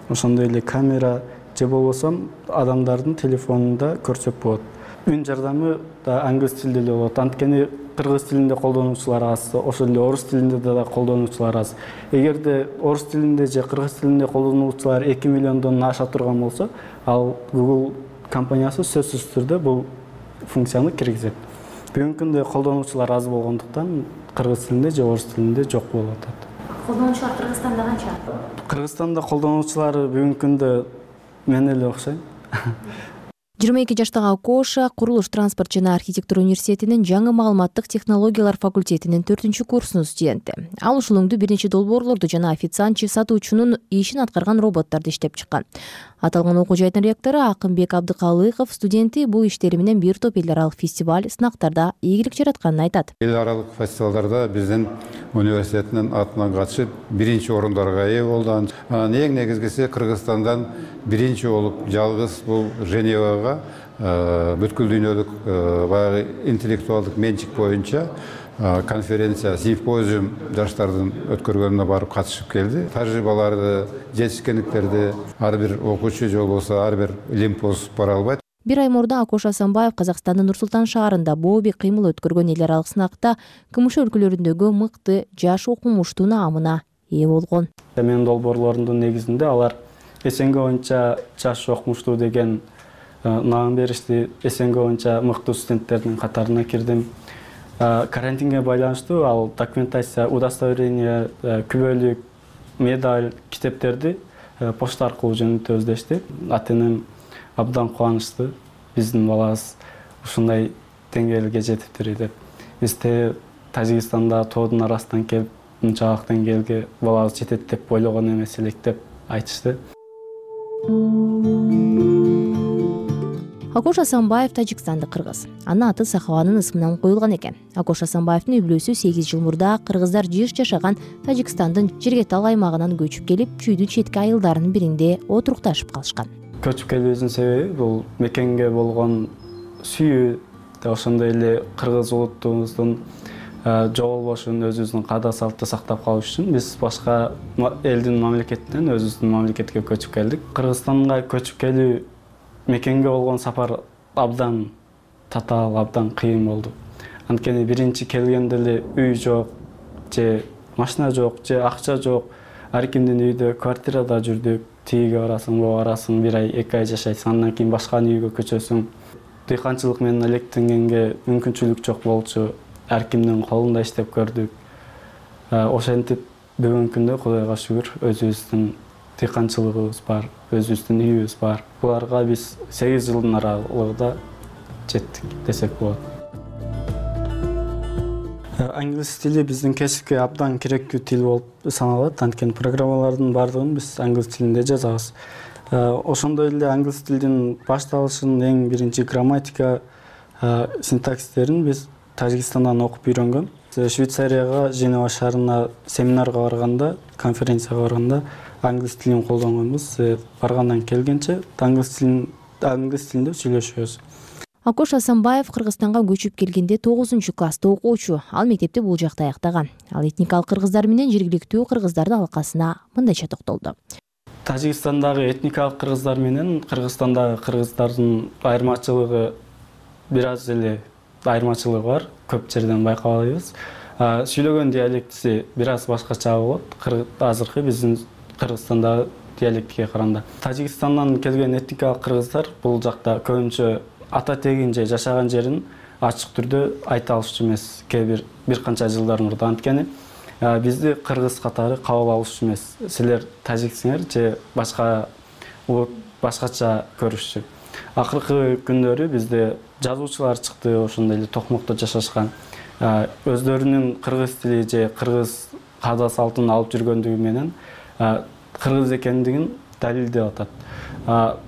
ошондой эле камера, же болбосо адамдардын телефонунда көрсөк болот. Үн жардамы да англис тилинде эле болот. Анткени кыргыз тилинде колдонуучулар аз, ошол эле орус тилинде да колдонуучулар аз. Эгерде орус тилинде же кыргыз тилинде колдонуучулар эки миллиондон аша турган болсо, ал Google компаниясы сөзсүз түрдө бул функцияны киргизет. Бүгүнкү күндө колдонуучулар аз болгондуктан кыргыз тилинде же орус тилинде жок болуп атат. Колдонуучулар Кыргызстанда канча? Кыргызстанда колдонуучулар бүгүнкү күндө мен эле окшойм. жыйырма эки жаштагы Акоша курулуш, транспорт жана архитектура университетинин жаңы маалыматтык технологиялар факультетинин төртүнчү курсунун студенти. Ал ушул өңдү бир нече долбоорлорду жана официантчы сатуучунун ишин аткарган роботторду иштеп чыккан. Аталган окуу жайдын ректору Акынбек Абдыкалыков студенти бул иштери менен бир топ эл аралык фестиваль, сынактарда ийгилик жаратканын айтат. Эл аралык фестивалдарда биздин университеттин атынан катышып биринчи орундарга ээ болду. Анан эң негизгиси Кыргызстандан биринчи болуп жалгыз бул Женевага бүткүл дүйнөлүк баягы интеллектуалдык менчик боюнча конференция, симпозиум жаштардын өткөргөнүнө барып катышып келди. Тажрыйбаларды, жетишкендиктерди ар бир окуучу же болбосо ар бир лимпоз бара албайт. Бир ай мурда Акош Асанбаев Казакстандын Нур-Султан шаарында бооби кыймыл өткөргөн эл аралык сынакта КМШ өлкөлөрүндөгү мыкты жаш окумуштуу наамына ээ болгон. Менин долбоорлорумдун негизинде алар СНГ боюнча жаш окумуштуу деген наам беришти. СНГ боюнча мыктуу студенттердин катарына кирдим. Карантинге байланыштуу ал документация, удостоверение, күбөлүк, медаль, китептерди почта аркылуу жөнөтөбүз дешти. Ата-энем абдан кубанычтуу. Биздин балабыз ушундай деңгээлге жетиптир деп. Бизде Тажикстанда тоодун арасынан келип, мынчалык деңгээлге балабыз жетет деп ойлогон эмес элек деп айтышты. Акош Асанбаев тажикстандык кыргыз. Анын аты Сахаванын ысымынан коюлган экен. Акош Асанбаевдин үй бүлөсү сегиз жыл мурда кыргыздар жыш жашаган Тажикстандын Жергетал аймагынан көчүп келип, чүйдүн четки айылдарынын биринде отурукташып калышкан. Көчүп келүүбүздүн себеби бул мекенге болгон сүйүү, ошондой эле кыргыз улуттугубуздун жоголбошун, өзүбүздүн каада салтты сактап калыш үчүн биз башка элдин мамлекетинен өзүбүздүн мамлекетке көчүп келдик. Кыргызстанга көчүп келүү, мекенге болгон сапар абдан татаал, абдан кыйын болду. Анткени биринчи келгенде эле үй жок, же машина жок, же акча жок. Ар кимдин үйдө, квартирада жүрдүк. Тиге барасың, буга барасың, бир ай, эки ай жашайсың, андан кийин башка үйгө көчөсүң. Дыйканчылык менен алектенгенге мүмкүнчүлүк жок болчу. Ар кимдин колунда иштеп көрдүк. Ошентип бүгүнкү күндө Кудайга шүгүр өзүбүздүн дыйканчылыгыбыз бар, өзүбүздүн үйүбүз бар. Буларга биз сегиз жылдын аралыгында жеттик десек болот. Англис тили биздин кесипке абдан керектүү тил болуп саналат. Анткени программалардын бардыгын биз англис тилинде жазабыз. Ошондой эле англис тилдин башталышын, эң биринчи грамматика, синтаксистерин биз Тажикстандан окуп үйрөнгөн. Швейцарияга, Женева шаарына семинарга барганда, конференцияга барганда англис тилин колдонгонбуз. Баргандан келгенче англис тилин англис тилинде сүйлөшөбүз. Акош Асанбаев Кыргызстанга көчүп келгенде тогузунчу класста окуучу. Ал мектепти бул жакта аяктаган. Ал этникалык кыргыздар менен жергиликтүү кыргыздардын алкасына мындайча токтолду. Тажикстандагы этникалык кыргыздар менен Кыргызстандагы кыргыздардын айырмачылыгы бир аз эле айырмачылыгы бар. Көп жерден байкабайбыз. Сүйлөгөн диалектиси бир аз башкача болот. Азыркы биздин Кыргызстандагы диалектке караганда. Тажикстандан келген этникалык кыргыздар бул жакта көбүнчө ата тегин же жашаган жерин ачык түрдө айта алышчу эмес. Кээ бир бир канча жылдар мурда. Анткени бизди кыргыз катары кабыл алышчу эмес. Силер тажиксиңер же башка улут башкача көрүшчү. Акыркы күндөрү бизде жазуучулар чыкты, ошондой эле Токмокто жашашкан. Өздөрүнүн кыргыз тили же кыргыз каада салтын алып жүргөндүгү менен кыргыз экендигин далилдеп атат.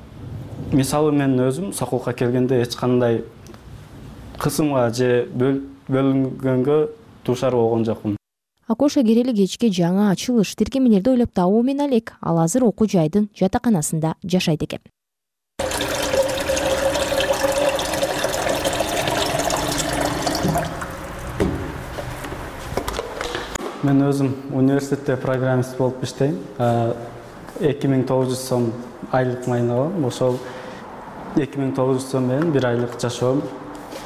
Мисалы мен өзүм Сокулка келгенде эч кандай кысымга же бөлүнгөнгө дуушар болгон жокмун. Акоша керели кечке жаңы ачылыш тиркемелерди ойлоп табуу менен элек ал азыр окуу жайдын жатаканасында жашайт экен. Мен өзүм университетте программист болуп иштейм. эки миң тогуз жүз сом айлык майын алам. Ошол эки миң тогуз жүз сом менен бир айлык жашоом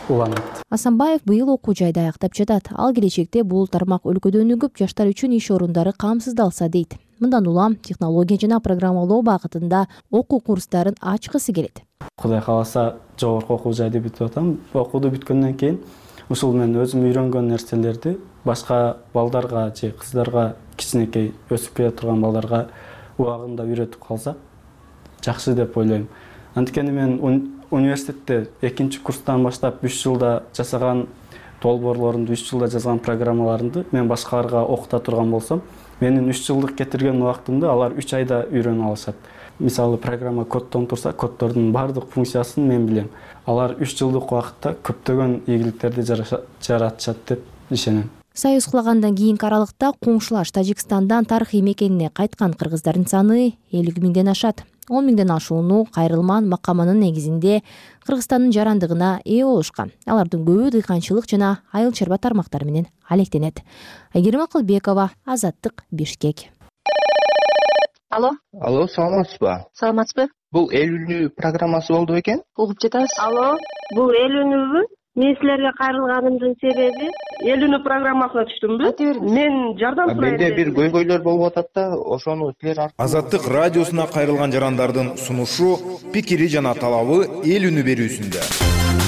уланат. Асанбаев быйыл окуу жайда аяктап жатат. Ал келечекте бул тармак өлкөдө өнүгүп, жаштар үчүн иш орундары камсыздалса дейт. Мындан улам технология жана программалоо багытында окуу курстарын ачкысы келет. Кудай кааласа жогорку окуу жайды бүтүп атам. Окууду бүткөндөн кийин ушул мен өзүм үйрөнгөн нерселерди башка балдарга же кыздарга, кичинекей өсүп келе турган балдарга убагында үйрөтүп калсак жакшы деп ойлойм. Анткени мен университетте экинчи курстан баштап үч жылда жасаган долбоорлорумду, үч жылда жазган программаларымды мен башкаларга окута турган болсом, менин үч жылдык кетирген убактымды алар үч айда үйрөнүп алышат. Мисалы программа коддон турса, коддордун баардык функциясын мен билем. Алар үч жылдык убакытта көптөгөн ийгиликтерди жаратышат деп ишенем. Союз кулагандан кийинки аралыкта коңшулаш Тажикстандан тарыхый мекенине кайткан кыргыздардын саны элүү миңден ашат. он миңден ашууну кайрылман макамынын негизинде Кыргызстандын жарандыгына ээ болушкан. Алардын көбү дыйканчылык жана айыл чарба тармактары менен алектенет. Айгерим Акылбекова, Азаттык, Бишкек. Алло. Алло, саламатсызбы? Саламатсызбы? Бул эл үнү программасы болду бекен? Угуп жатабыз. Алло, бул эл үнүбү? Мен силерге кайрылганымдын себеби эл үнү программасына түштүмбү? Мен жардам сурайм. Менде бир көйгөйлөр болуп атат да, ошону силер Азаттык радиосуна кайрылган жарандардын сунушу, пикири жана талабы эл үнү берүүсүндө.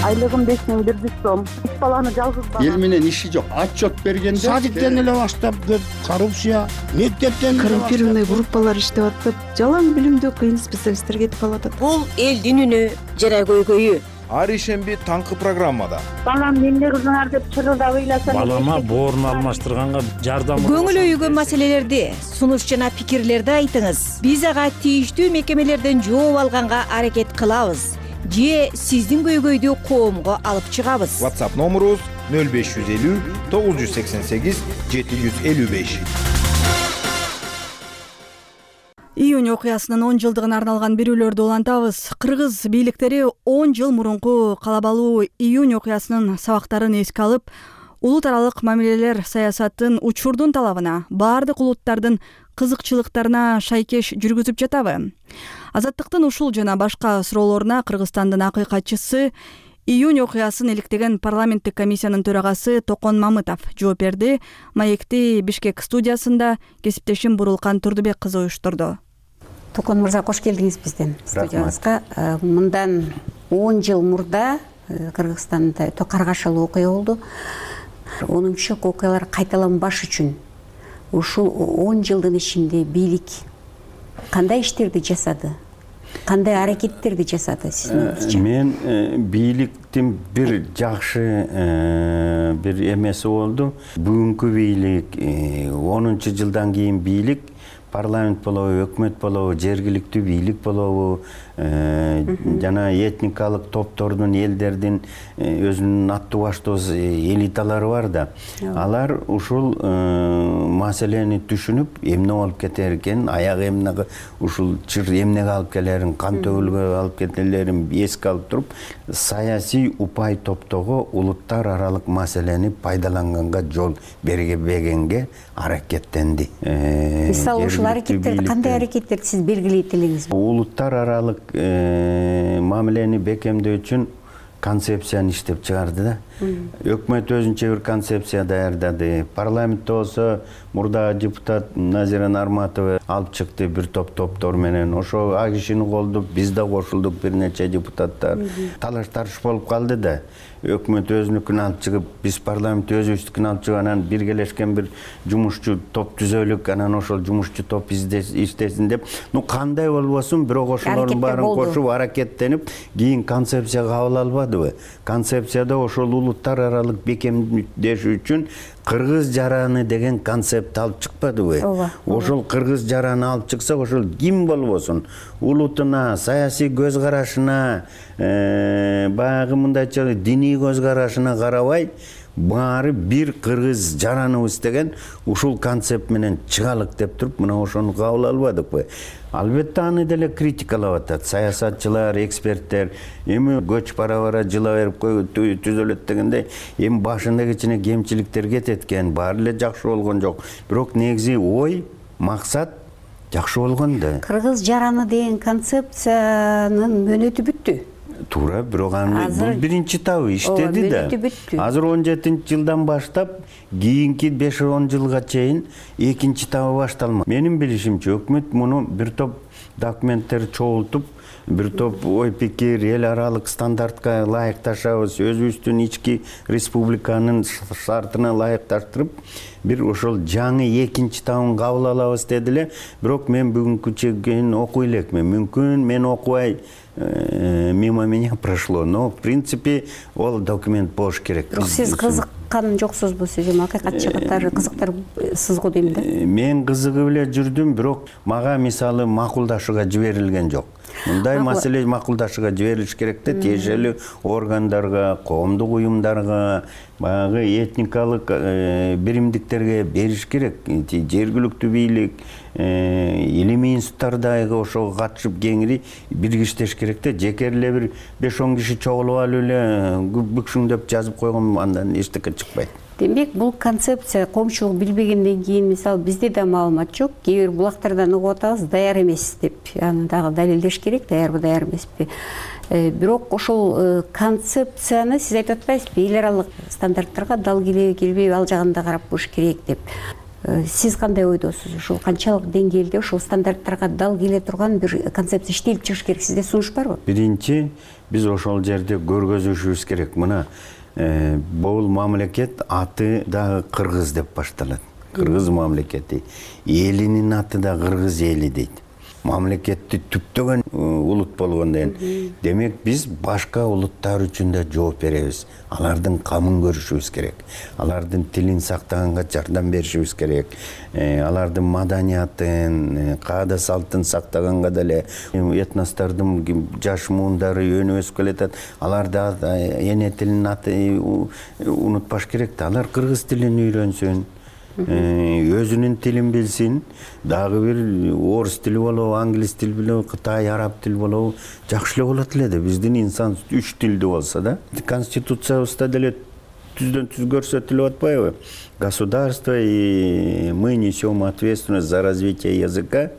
Айлыгым беш миң бир жүз сом. Үч баланы жалгыз бала. Эл менен иши жок. Отчет бергенде садиктен эле баштап көп коррупция, мектептен коррумпированный группалар иштеп атып, жалаң билимдүү кыйын специалисттер кетип калат. Бул элдин үнү жана көйгөйү. Ар ишемби таңкы программада. Балам эмне кылдыңар деп чырылдап ыйласам. Балама боорун алмаштырганга жардам. Көңүл өйгөн маселелерди, сунуш жана пикирлерди айтыңыз. Биз ага тийиштүү мекемелерден жооп алганга аракет кылабыз. Же сиздин көйгөйдү коомго алып чыгабыз. WhatsApp номерубуз нөл беш жүз элүү тогуз жүз сексен сегиз жети жүз элүү беш. Июнь окуясынын он жылдыгына арналган берүүлөрдү улантабыз. Кыргыз бийликтери он жыл мурунку калабалуу июнь окуясынын сабактарын эске алып, улут аралык мамилелер саясатын учурдун талабына, баардык улуттардын кызыкчылыктарына шайкеш жүргүзүп жатабы? Азаттыктын ушул жана башка суроолоруна Кыргызстандын акыйкатчысы, июнь окуясын иликтеген парламенттик комиссиянын төрагасы Токон Мамытов жооп берди. Маекти Бишкек студиясында кесиптешим Бурулкан Турдубек кызы уюштурду. Токон мырза, кош келдиңиз биздин студиябызга. Мындан он жыл мурда Кыргызстанда өтө каргашалуу окуя болду. Онунчу окуялар кайталанбаш үчүн ушул он жылдын ичинде бийлик кандай иштерди жасады? Кандай аракеттерди жасады сиздин оюңузча? Мен бийликтин бир жакшы бир эмеси болду. Бүгүнкү бийлик онунчу жылдан кийин бийлик парламент болобу, өкмөт болобу, жергиликтүү бийлик болобу, жана этникалык топтордун, элдердин өзүнүн аттуу баштуу элиталары бар да. Алар ушул маселени түшүнүп, эмне болуп кетер экен, аяк эмне ушул чыр эмнеге алып келерин, кан төгүлгө алып кетелерин эске алып туруп, саясий упай топтогу улуттар аралык маселени пайдаланганга жол бергенге аракеттенди. Мисалы ушул аракеттерди кандай аракеттерди сиз белгилейт элеңиз? Улуттар аралык мамилени бекемдөө үчүн концепцияны иштеп чыгарды да. Өкмөт өзүнчө бир концепция даярдады. Парламентте болсо мурда депутат Назира Нарматова алып чыкты бир топ топтор менен. Ошо а кишини колдоп биз да кошулдук, бир нече депутаттар. Талаш тарыш болуп калды да. Өкмөт өзүнүкүн алып чыгып, биз парламент өзүбүздүкүн алып чыгып, анан биргелешкен бир жумушчу топ түзөлүк, анан ошол жумушчу топ иштесин деп. Ну кандай болбосун, бирок ошолордун баарын кошуп аракеттенип, кийин концепция кабыл албадыбы? Концепцияда ошол улуттар аралык бекемдеш үчүн кыргыз жараны деген концепт алып чыкпадыбы? Ошол кыргыз жараны алып чыксак, ошол ким болбосун, улутуна, саясий көз карашына, баягы мындайча диний көз карашына карабай, баары бир кыргыз жараныбыз деген ушул концепт менен чыгалык деп туруп, мына ошону кабыл албадыкпы? Албетте аны деле критикалап атат саясатчылар, эксперттер. Эми көч бара-бара жыла берип түзөлөт дегенде, эми башында кичине кемчиликтер кетет экен, баары эле жакшы болгон жок. Бирок негизи ой, максат жакшы болгон да. Кыргыз жараны деген концепциянын мөөнөтү бүттү. Туура, бирок аны бул биринчи табы иштеди да. Азыр он жетинчи жылдан баштап кийинки беш он жылга чейин экинчи табы башталмак. Менин билишимче, өкмөт муну бир топ документтер чогултуп, бир топ ой пикир, эл аралык стандартка ылайыкташабыз, өзүбүздүн ички республиканын шартына ылайыкташтырып, бир ошол жаңы экинчи табын кабыл алабыз деди эле. Бирок мен бүгүнкү чейин окуй элекмин. Мүмкүн мен окубай мимо меня прошло, но в принципе ол документ болуш керек. Бирок сиз кызыккан жоксузбу, сиз эми акыйкатчы катары кызыктарсыз го дейм да. Мен кызыгып эле жүрдүм, бирок мага мисалы макулдашууга жиберилген жок. Мындай маселе макулдашууга жиберилиш керек да, тиешелүү органдарга, коомдук уюмдарга, баягы этникалык биримдиктерге бериш керек. Жергиликтүү бийлик, илимий институттар дагы ошого катышып кеңири биргиштеш керек да. Жеке эле бир беш он киши чогулуп алып эле бүкшүңдөп жазып койгон андан эчтеке чыкпайт. Демек, бул концепция коомчулук билбегенден кийин, мисалы, бизде да маалымат жок, кээ бир булактардан угуп атабыз, даяр эмес деп, аны дагы далилдеш керек, даярбы, даяр эмеспи. Бирок ошол концепцияны сиз айтып атпайсызбы, эл аралык стандарттарга дал келеби, келбейби, ал жагын да карап коюш керек деп. Сиз кандай ойдосуз? Ушул канчалык деңгээлде ушул стандарттарга дал келе турган бир концепция иштелип чыгыш керек? Сизде сунуш барбы? Биринчи, биз ошол жерде көргөзүшүбүз керек. Мына бул мамлекет аты дагы кыргыз деп башталат. Кыргыз мамлекети. Элинин аты да кыргыз эли дейт. Мамлекетти түптөгөн улут болгондон кийин, демек биз башка улуттар үчүн да жооп беребиз. Алардын камын көрүшүбүз керек. Алардын тилин сактаганга жардам беришибиз керек. Алардын маданиятын, каада салтын сактаганга деле этностордун жаш муундары өнүп өсүп келатат. Алар да эне тилин аты унутпаш керек да. Алар кыргыз тилин үйрөнсүн. Өзүнүн тилин билсин, дагы бир орус тили болобу, англис тил болобу, кытай, араб тил болобу, жакшы эле болот эле да. Биздин инсан үч тилдүү болсо да. Конституциябызда деле түздөн түз көрсөтүлүп атпайбы? Государство и мы несем ответственность за развитие языка,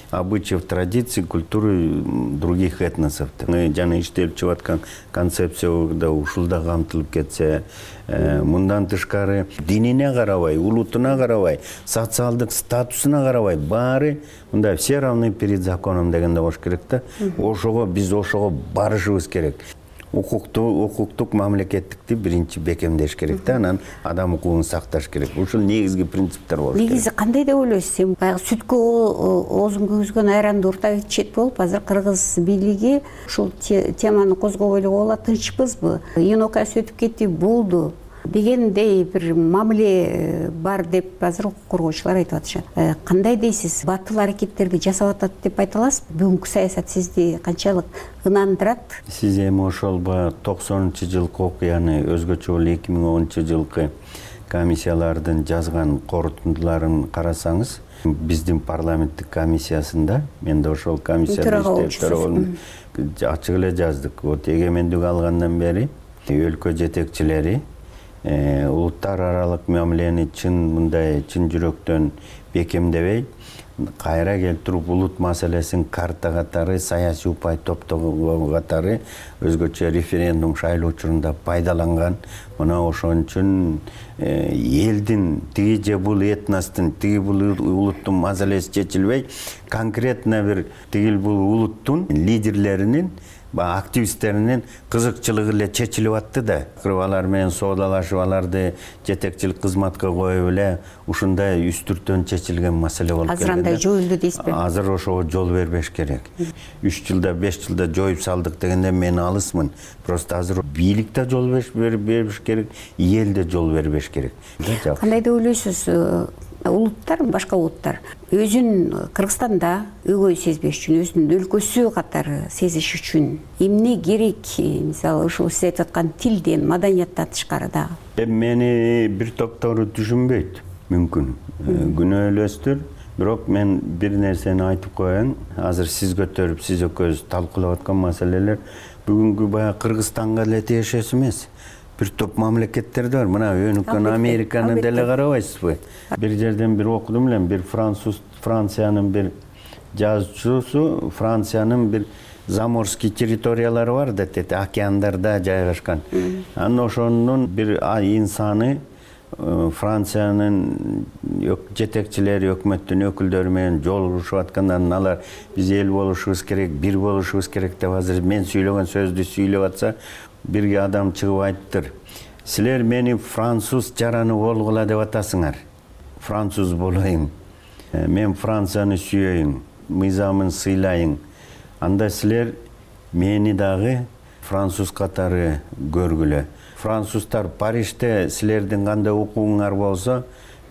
обычаев, традиций, культуры других этносов. Жана иштелип чыгып аткан концепцияда ушул да камтылып кетсе, мындан тышкары динине карабай, улутуна карабай, социалдык статусуна карабай, баары мындай все равны перед законом дегенде болуш керек да. Ошого биз ошого барышыбыз керек. Укукту, укуктук мамлекеттикти биринчи бекемдеш керек да, анан адам укугун сакташ керек. Ушул негизги принциптер болуш керек. Негизи кандай деп ойлойсуз? Сен баягы сүткө оозун күйгүзгөн айранды урта ичет болуп, азыр кыргыз бийлиги ушул теманы козгобой эле коюлат, тынчпызбы? Июнь окуясы өтүп кетти, болду дегендей бир мамиле бар деп азыр укук коргоочулар айтып атышат. Кандай дейсиз? Батыл аракеттерди жасап атат деп айта аласызбы? Бүгүнкү саясат сизди канчалык ынандырат? Сиз эми ошол баягы токсонунчу жылкы окуяны, өзгөчө болуп эки миң онунчу жылкы комиссиялардын жазган корутундуларын карасаңыз, биздин парламенттик комиссиясында, мен да ошол комиссияда иштеп ачык эле жаздык. Вот эгемендик алгандан бери өлкө жетекчилери улуттар аралык мамилени чын мындай чын жүрөктөн бекемдебей, кайра келтирип улут маселесин карта катары, саясий упай топтогу катары өзгөчө референдум шайлоо учурунда пайдаланган. Мына ошон үчүн элдин тиги же бул этностун, тиги бул улуттун маселеси чечилбей, конкретно бир тигил бул улуттун лидерлеринин, активисттеринин кызыкчылыгы эле чечилип атты да. Алар менен соодалашып, аларды жетекчилик кызматка коюп эле ушундай үстүртөн чечилген маселе болуп келген. Азыр андай жоюлду дейсизби? Азыр ошого жол бербеш керек. үч жылда, беш жылда жоюп салдык дегенде мен алысмын. Просто азыр бийлик да жол бербеш керек, эл да жол бербеш керек. Кандай деп ойлойсуз? Улуттар, башка улуттар өзүн Кыргызстанда өгөй сезбеш үчүн, өзүнүн өлкөсү катары сезиш үчүн эмне керек? Мисалы, ушул сиз айтып аткан тилден, маданияттан тышкары дагы. Эми мени бир топтору түшүнбөйт, мүмкүн. Күнөөлөстүр. Бирок мен бир нерсени айтып коеюн. Азыр сиз көтөрүп, сиз экөөбүз талкуулап аткан маселелер бүгүнкү баягы Кыргызстанга эле тиешеси эмес. Бир топ мамлекеттерде бар. Мына өнүккөн Американы деле карабайсызбы? Бир жерден бир окудум эле, бир француз, Франциянын бир жазуучусу, Франциянын бир заморский территориялары бар да, океандарда жайгашкан. Анан ошонун бир инсаны Франциянын жетекчилери, өкмөттүн өкүлдөрү менен жолугушуп аткандан алар биз эл болушубуз керек, бир болушубуз керек деп азыр мен сүйлөгөн сөздү сүйлөп атса, бирге адам чыгып айтыптыр. Силер мени француз жараны болгула деп атасыңар. Француз болоюн. Мен Францияны сүйөйүн, мыйзамын сыйлайын. Анда силер мени дагы француз катары көргүлө. Француздар Парижде силердин кандай укугуңар болсо,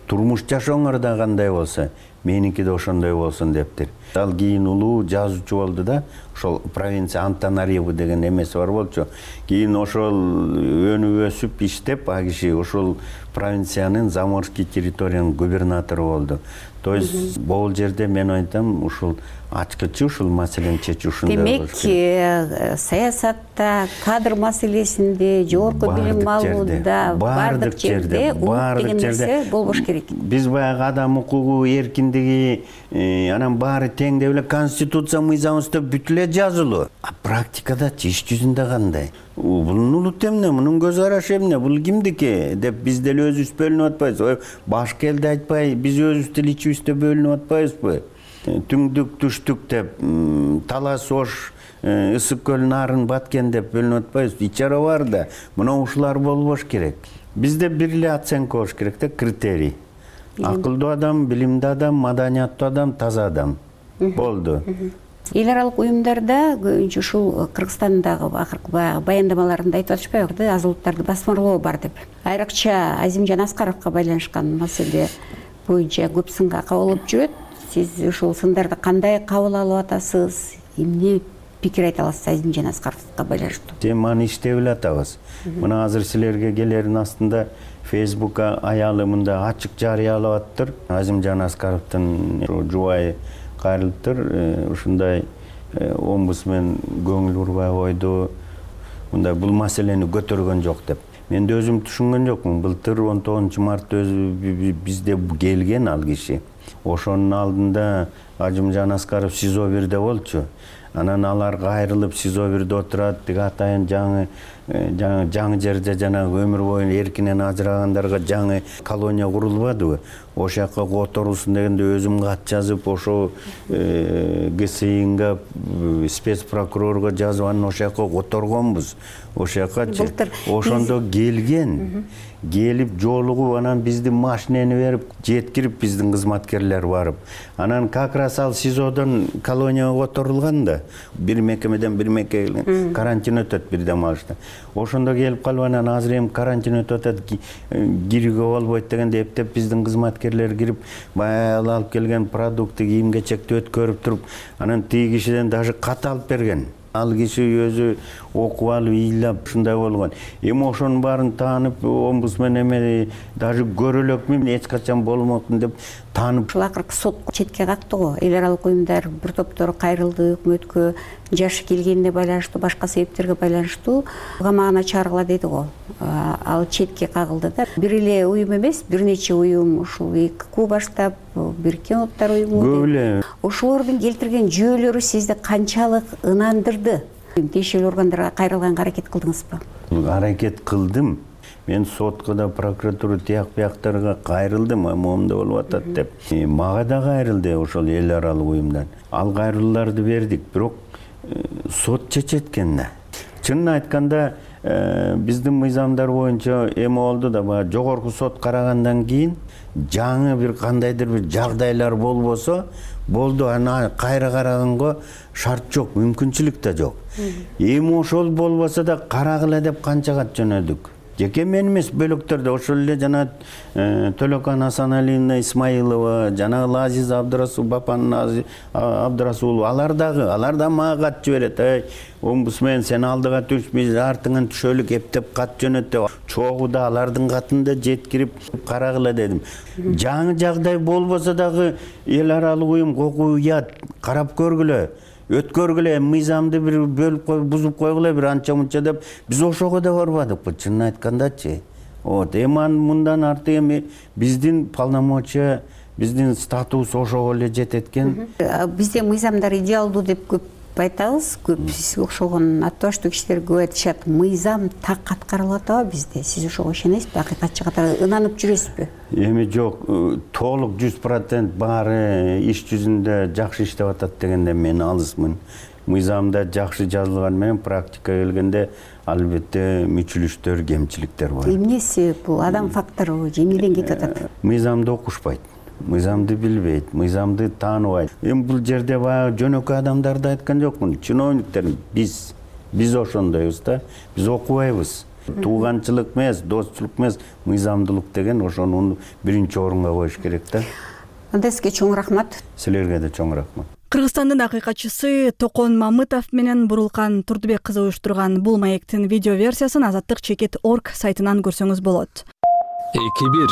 турмуш жашооңор да кандай болсо, меники да ошондой болсун дептир. Ал кийин улуу жазуучу болду да, ошол провинция Антанариву деген эмеси бар болчу. Кийин ошол өнүп өсүп иштеп, а киши ошол провинциянын Заморский территориянын губернатору болду. То есть бул жерде мен айтам, ушул ачкычы ушул маселени чечүү ушундай болуш керек. Демек, саясатта, кадр маселесинде, жогорку билим алууда, баардык жерде укук деген нерсе болбош керек. Биз баягы адам укугу, эркиндиги, анан баары тең деп эле конституция мыйзамыбызда бүт эле жазылуу. А практикадачы иш жүзүндө кандай? Бунун улут эмне, мунун көз карашы эмне, бул кимдики деп биз деле өзүбүз бөлүнүп атпайбызбы? Башка элди айтпай, биз өзүбүз деле ичибизде бөлүнүп атпайбызбы? Түңдүк, түштүк деп, талас ош, ысык көл нарын баткен деп бөлүнүп атпайбызбы? Ичара бар да, мына ушулар болбош керек. Бизде бир эле оценка болуш керек да, критерий. Акылдуу адам, билимдүү адам, маданияттуу адам, таза адам. Болду. Эл аралык уюмдарда көбүнчө ушул Кыргызстандагы акыркы баяндамаларында айтып атышпайбы, да, аз улуттарды басмырлоо бар деп. Айрыкча Азимжан Аскаровго байланышкан маселе боюнча көп сынга кабылып жүрөт. Сиз ушул сындарды кандай кабыл алып атасыз? Эмне пикир айта аласыз Азимжан Аскаровго байланыштуу? Теманы иштеп эле атабыз. Мына азыр силерге келердин астында Фейсбукка аялы мында ачык жарыялап аттыр. Азимжан Аскаровдун жубайы кайрылыптыр. Ушундай омбусмен көңүл бурбай койду. Мындай бул маселени көтөргөн жок деп. Мен да өзүм түшүнгөн жокмун. Былтыр он тогузунчу мартта өзү бизде келген ал киши. Ошонун алдында Азимжан Аскаров СИЗО бирде болчу. Анан алар кайрылып СИЗО бирде отурат, тиги атайын жаңы жаңы жерде жанагы өмүр бою эркинен ажырагандарга жаңы колония курулбадыбы? Ошол жака которулсун дегенде өзүм кат жазып, ошо ГСИнга, спецпрокурорго жазып, анан ошол жака которгонбуз. Ошол жакачы. Ошондо келген, келип жолугуп, анан биздин машинени берип, жеткирип биздин кызматкерлер барып. Анан как раз ал СИЗОдон колонияга которулган да. Бир мекемеден бир мекемеге карантин өтөт бир дем алышта. Ошондо келип калып, анан азыр эми карантин өтүп атат, кирүүгө болбойт дегенде эптеп биздин кызматкерлер кирип, баягы алып келген продукты, кийим-кечекти өткөрүп туруп, анан тиги кишиден даже кат алып берген. Ал киши өзү окуп алып, ыйлап ушундай болгон. Эми ошонун баарын таанып, омбусмен эме даже көрөлөкмүн, эч качан болмокмун деп таанып. Ушул акыркы сот четке какты го. Эл аралык уюмдар бир топтору кайрылды, өкмөткө жашы келгенине байланыштуу, башка себептерге байланыштуу камагына чыгаргыла деди го. Ал четке кагылды да. Бир эле уюм эмес, бир нече уюм, ушул ИККУ баштап, Бириккен Улуттар уюму. Көп эле. Ошолордун келтирген жүйөлөрү сизди канчалык ынандырды? Тиешелүү органдарга кайрылганга аракет кылдыңызбы? Аракет кылдым. Мен сотко да, прокуратура тияк бияктарга кайрылдым, момунда болуп атат деп. Мага да кайрылды ошол эл аралык уюмдан. Ал кайрылууларды бердик, бирок сот чечет экен да. Чынын айтканда, биздин мыйзамдар боюнча эме болду да, баягы жогорку сот карагандан кийин жаңы бир кандайдыр бир жагдайлар болбосо, болду, аны кайра караганга шарт жок, мүмкүнчүлүк да жок. Эми ошол болбосо да карагыла деп канча кат жөнөдүк. Жеке мен эмес, бөлөктөрдө ошол эле жана Төлөкан Асаналиевна Исмаилова, жана Азиз Абдырасул, Бапан Абдырасул, алар дагы, алар да мага кат жиберет. Эй, омбусмен, сен алдыга түш, биз артыңан түшөлүк эптеп кат жөнөт деп. Чогуу да алардын катын да жеткирип карагыла дедим. Жаңы жагдай болбосо дагы эл аралык уюм кокуу уят, карап көргүлө. Өткөргүлө, мыйзамды бир бөлүп коюп, бузуп койгула бир анча-мунча деп, биз ошого да барбадыкпы, чынын айткандачы. Вот, эми мындан арты эми биздин полномочия, биздин статус ошого эле жетет экен. Бизде мыйзамдар идеалдуу деп көп айтабыз, көп сизге окшогон аттабаштуу кишилер көп айтышат, мыйзам так аткарылып атабы бизде? Сиз ошого ишенесизби? Акыйкатчы катары ынанып жүрөсүзбү? Эми жок, толук жүз процент баары иш жүзүндө жакшы иштеп атат дегенде мен алысмын. Мыйзамда жакшы жазылган менен практика келгенде албетте мүчүлүштөр, кемчиликтер бар. Эмне себеп бул? Адам фактору же эмнеден кетип атат? Мыйзамды окушпайт, мыйзамды билбейт, мыйзамды тааныбайт. Эми бул жерде баягы жөнөкөй адамдарды айткан жокмун. Чиновниктер биз биз ошондойбуз да. Биз окубайбыз. Тууганчылык эмес, достчулук эмес, мыйзамдуулук деген ошону биринчи орунга коюш керек да. Анда сизге чоң рахмат. Силерге да чоң рахмат. Кыргызстандын акыйкатчысы Токон Мамытов менен Бурулкан Турдубек кызы уюштурган бул маектин видео версиясын азаттык чекит точка орг сайтынан көрсөңүз болот. эки бир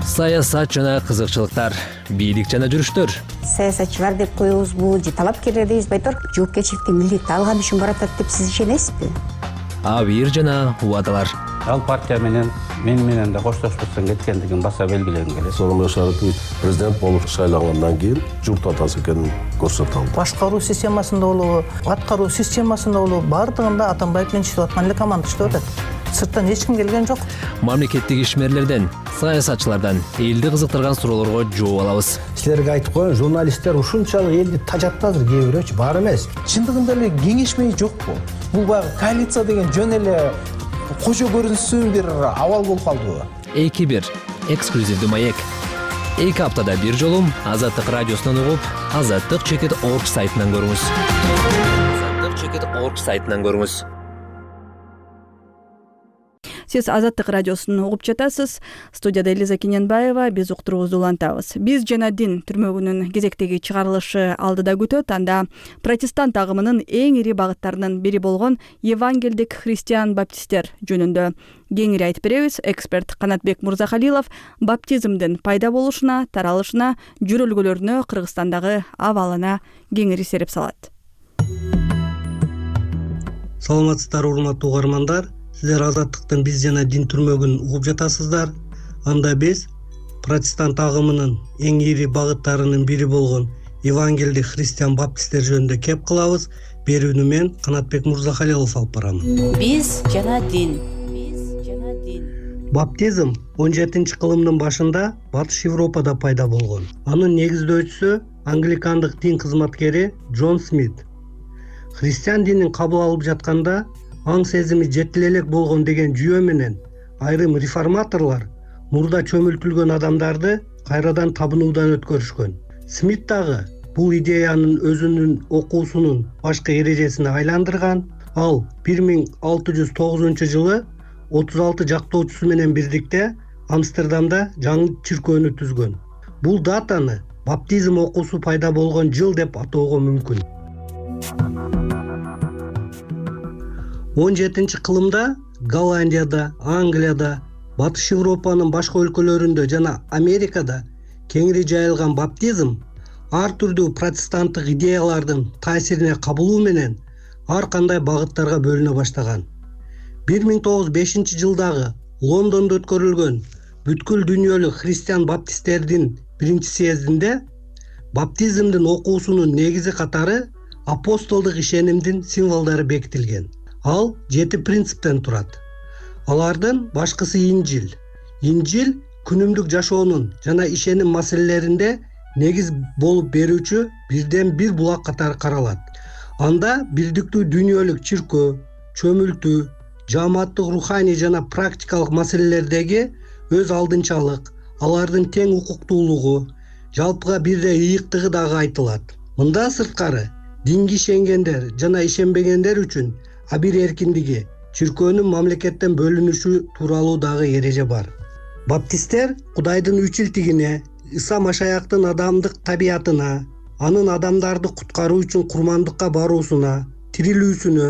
саясат жана кызыкчылыктар, бийлик жана жүрүштөр. Саясатчылар деп коебузбу же талапкерлер дейбизби айтор? Жоопкерчиликти милдетти алган үчүн баратат деп сиз ишенесизби? Абийир жана убадалар. Ал партия менен мен менен да коштошпостон кеткендигин баса белгилегим келет. Сооронбай Шарипович президент болуп шайлангандан кийин журт атасы экенин көрсөтө алды. Башкаруу системасында болобу, аткаруу системасында болобу, бардыгында Атамбаев менен иштеп аткан эле команда иштеп атат. Сырттан эч ким келген жок. Мамлекеттик ишмерлерден, саясатчылардан элди кызыктырган суроолорго жооп алабыз. Силерге айтып коеюн, журналисттер ушунчалык элди тажатты азыр, кээ бирөөчү бар эмес. Чындыгында эле кеңешмей жокпу? Бул баягы коалиция деген жөн эле кожо көрүнсүн бир абал болуп калдыбы? эки бир эксклюзивдүү маек. эки аптада бир жолу Азаттык радиосунан угуп, азаттык чекит точка орг сайтынан көрүңүз. азаттык чекит точка орг сайтынан көрүңүз. Сиз Азаттык радиосун угуп жатасыз. Студияда Элиза Кененбаева, биз уктуруубузду улантабыз. Биз жана дин түрмөгүнүн кезектеги чыгарылышы алдыда күтөт. Анда протестант агымынын эң ири багыттарынын бири болгон евангелдик христиан баптисттер жөнүндө кеңири айтып беребиз. Эксперт Канатбек Мурзахалилов баптизмдин пайда болушуна, таралышына, жүрөлгөлөрүнө, Кыргызстандагы абалына кеңири сереп салат. Саламатсыздар, урматтуу угармандар. Сиздер Азаттыктын биз жана дин түрмөгүн угуп жатасыздар. Анда биз протестант агымынын эң ири багыттарынын бири болгон евангелдик христиан баптисттер жөнүндө кеп кылабыз. Берүүнү мен Канатбек Мурзахалилов алып барамын. Биз жана дин. Баптизм он жетинчи кылымдын башында Батыш Европада пайда болгон. Анын негиздөөчүсү англикандык дин кызматкери Джон Смит. Христиан динин кабыл алып жатканда аң сезими жетил элек болгон деген жүйө менен айрым реформаторлор мурда чөмүлтүлгөн адамдарды кайрадан табынуудан өткөрүшкөн. Смит дагы бул идеянын өзүнүн окуусунун башкы эрежесине айландырган. Ал бир миң алты жүз тогузунчу жылы отуз алты жактоочусу менен бирдикте Амстердамда жаңы чиркөөнү түзгөн. Бул датаны баптизм окуусу пайда болгон жыл деп атоого мүмкүн. он жетинчи кылымда Голландияда, Англияда, Батыш Европанын башка өлкөлөрүндө жана Америкада кеңири жайылган баптизм ар түрдүү протестанттык идеялардын таасирине кабылуу менен ар кандай багыттарга бөлүнө баштаган. бир миң тогуз жүз бешинчи жылдагы Лондондо өткөрүлгөн бүткүл дүйнөлүк христиан баптисттердин биринчи съездинде баптизмдин окуусунун негизи катары апостолдук ишенимдин символдору бекитилген. Ал жети принциптен турат. Алардын башкысы Инжил. Инжил күнүмдүк жашоонун жана ишеним маселелеринде негиз болуп берүүчү бирден бир булак катары каралат. Анда бирдиктүү дүйнөлүк чиркөө, чөмүлтүү, жааматтык руханий жана практикалык маселелердеги өз алдынчалык, алардын тең укуктуулугу, жалпыга бирдей ыйыктыгы дагы айтылат. Мындан сырткары динге ишенгендер жана ишенбегендер үчүн абир эркиндиги, чиркөөнүн мамлекеттен бөлүнүшү тууралуу дагы эреже бар. Баптисттер Кудайдын үчилтигине, Иса Машаяктын адамдык табиятына, анын адамдарды куткаруу үчүн курмандыкка баруусуна, тирилүүсүнө,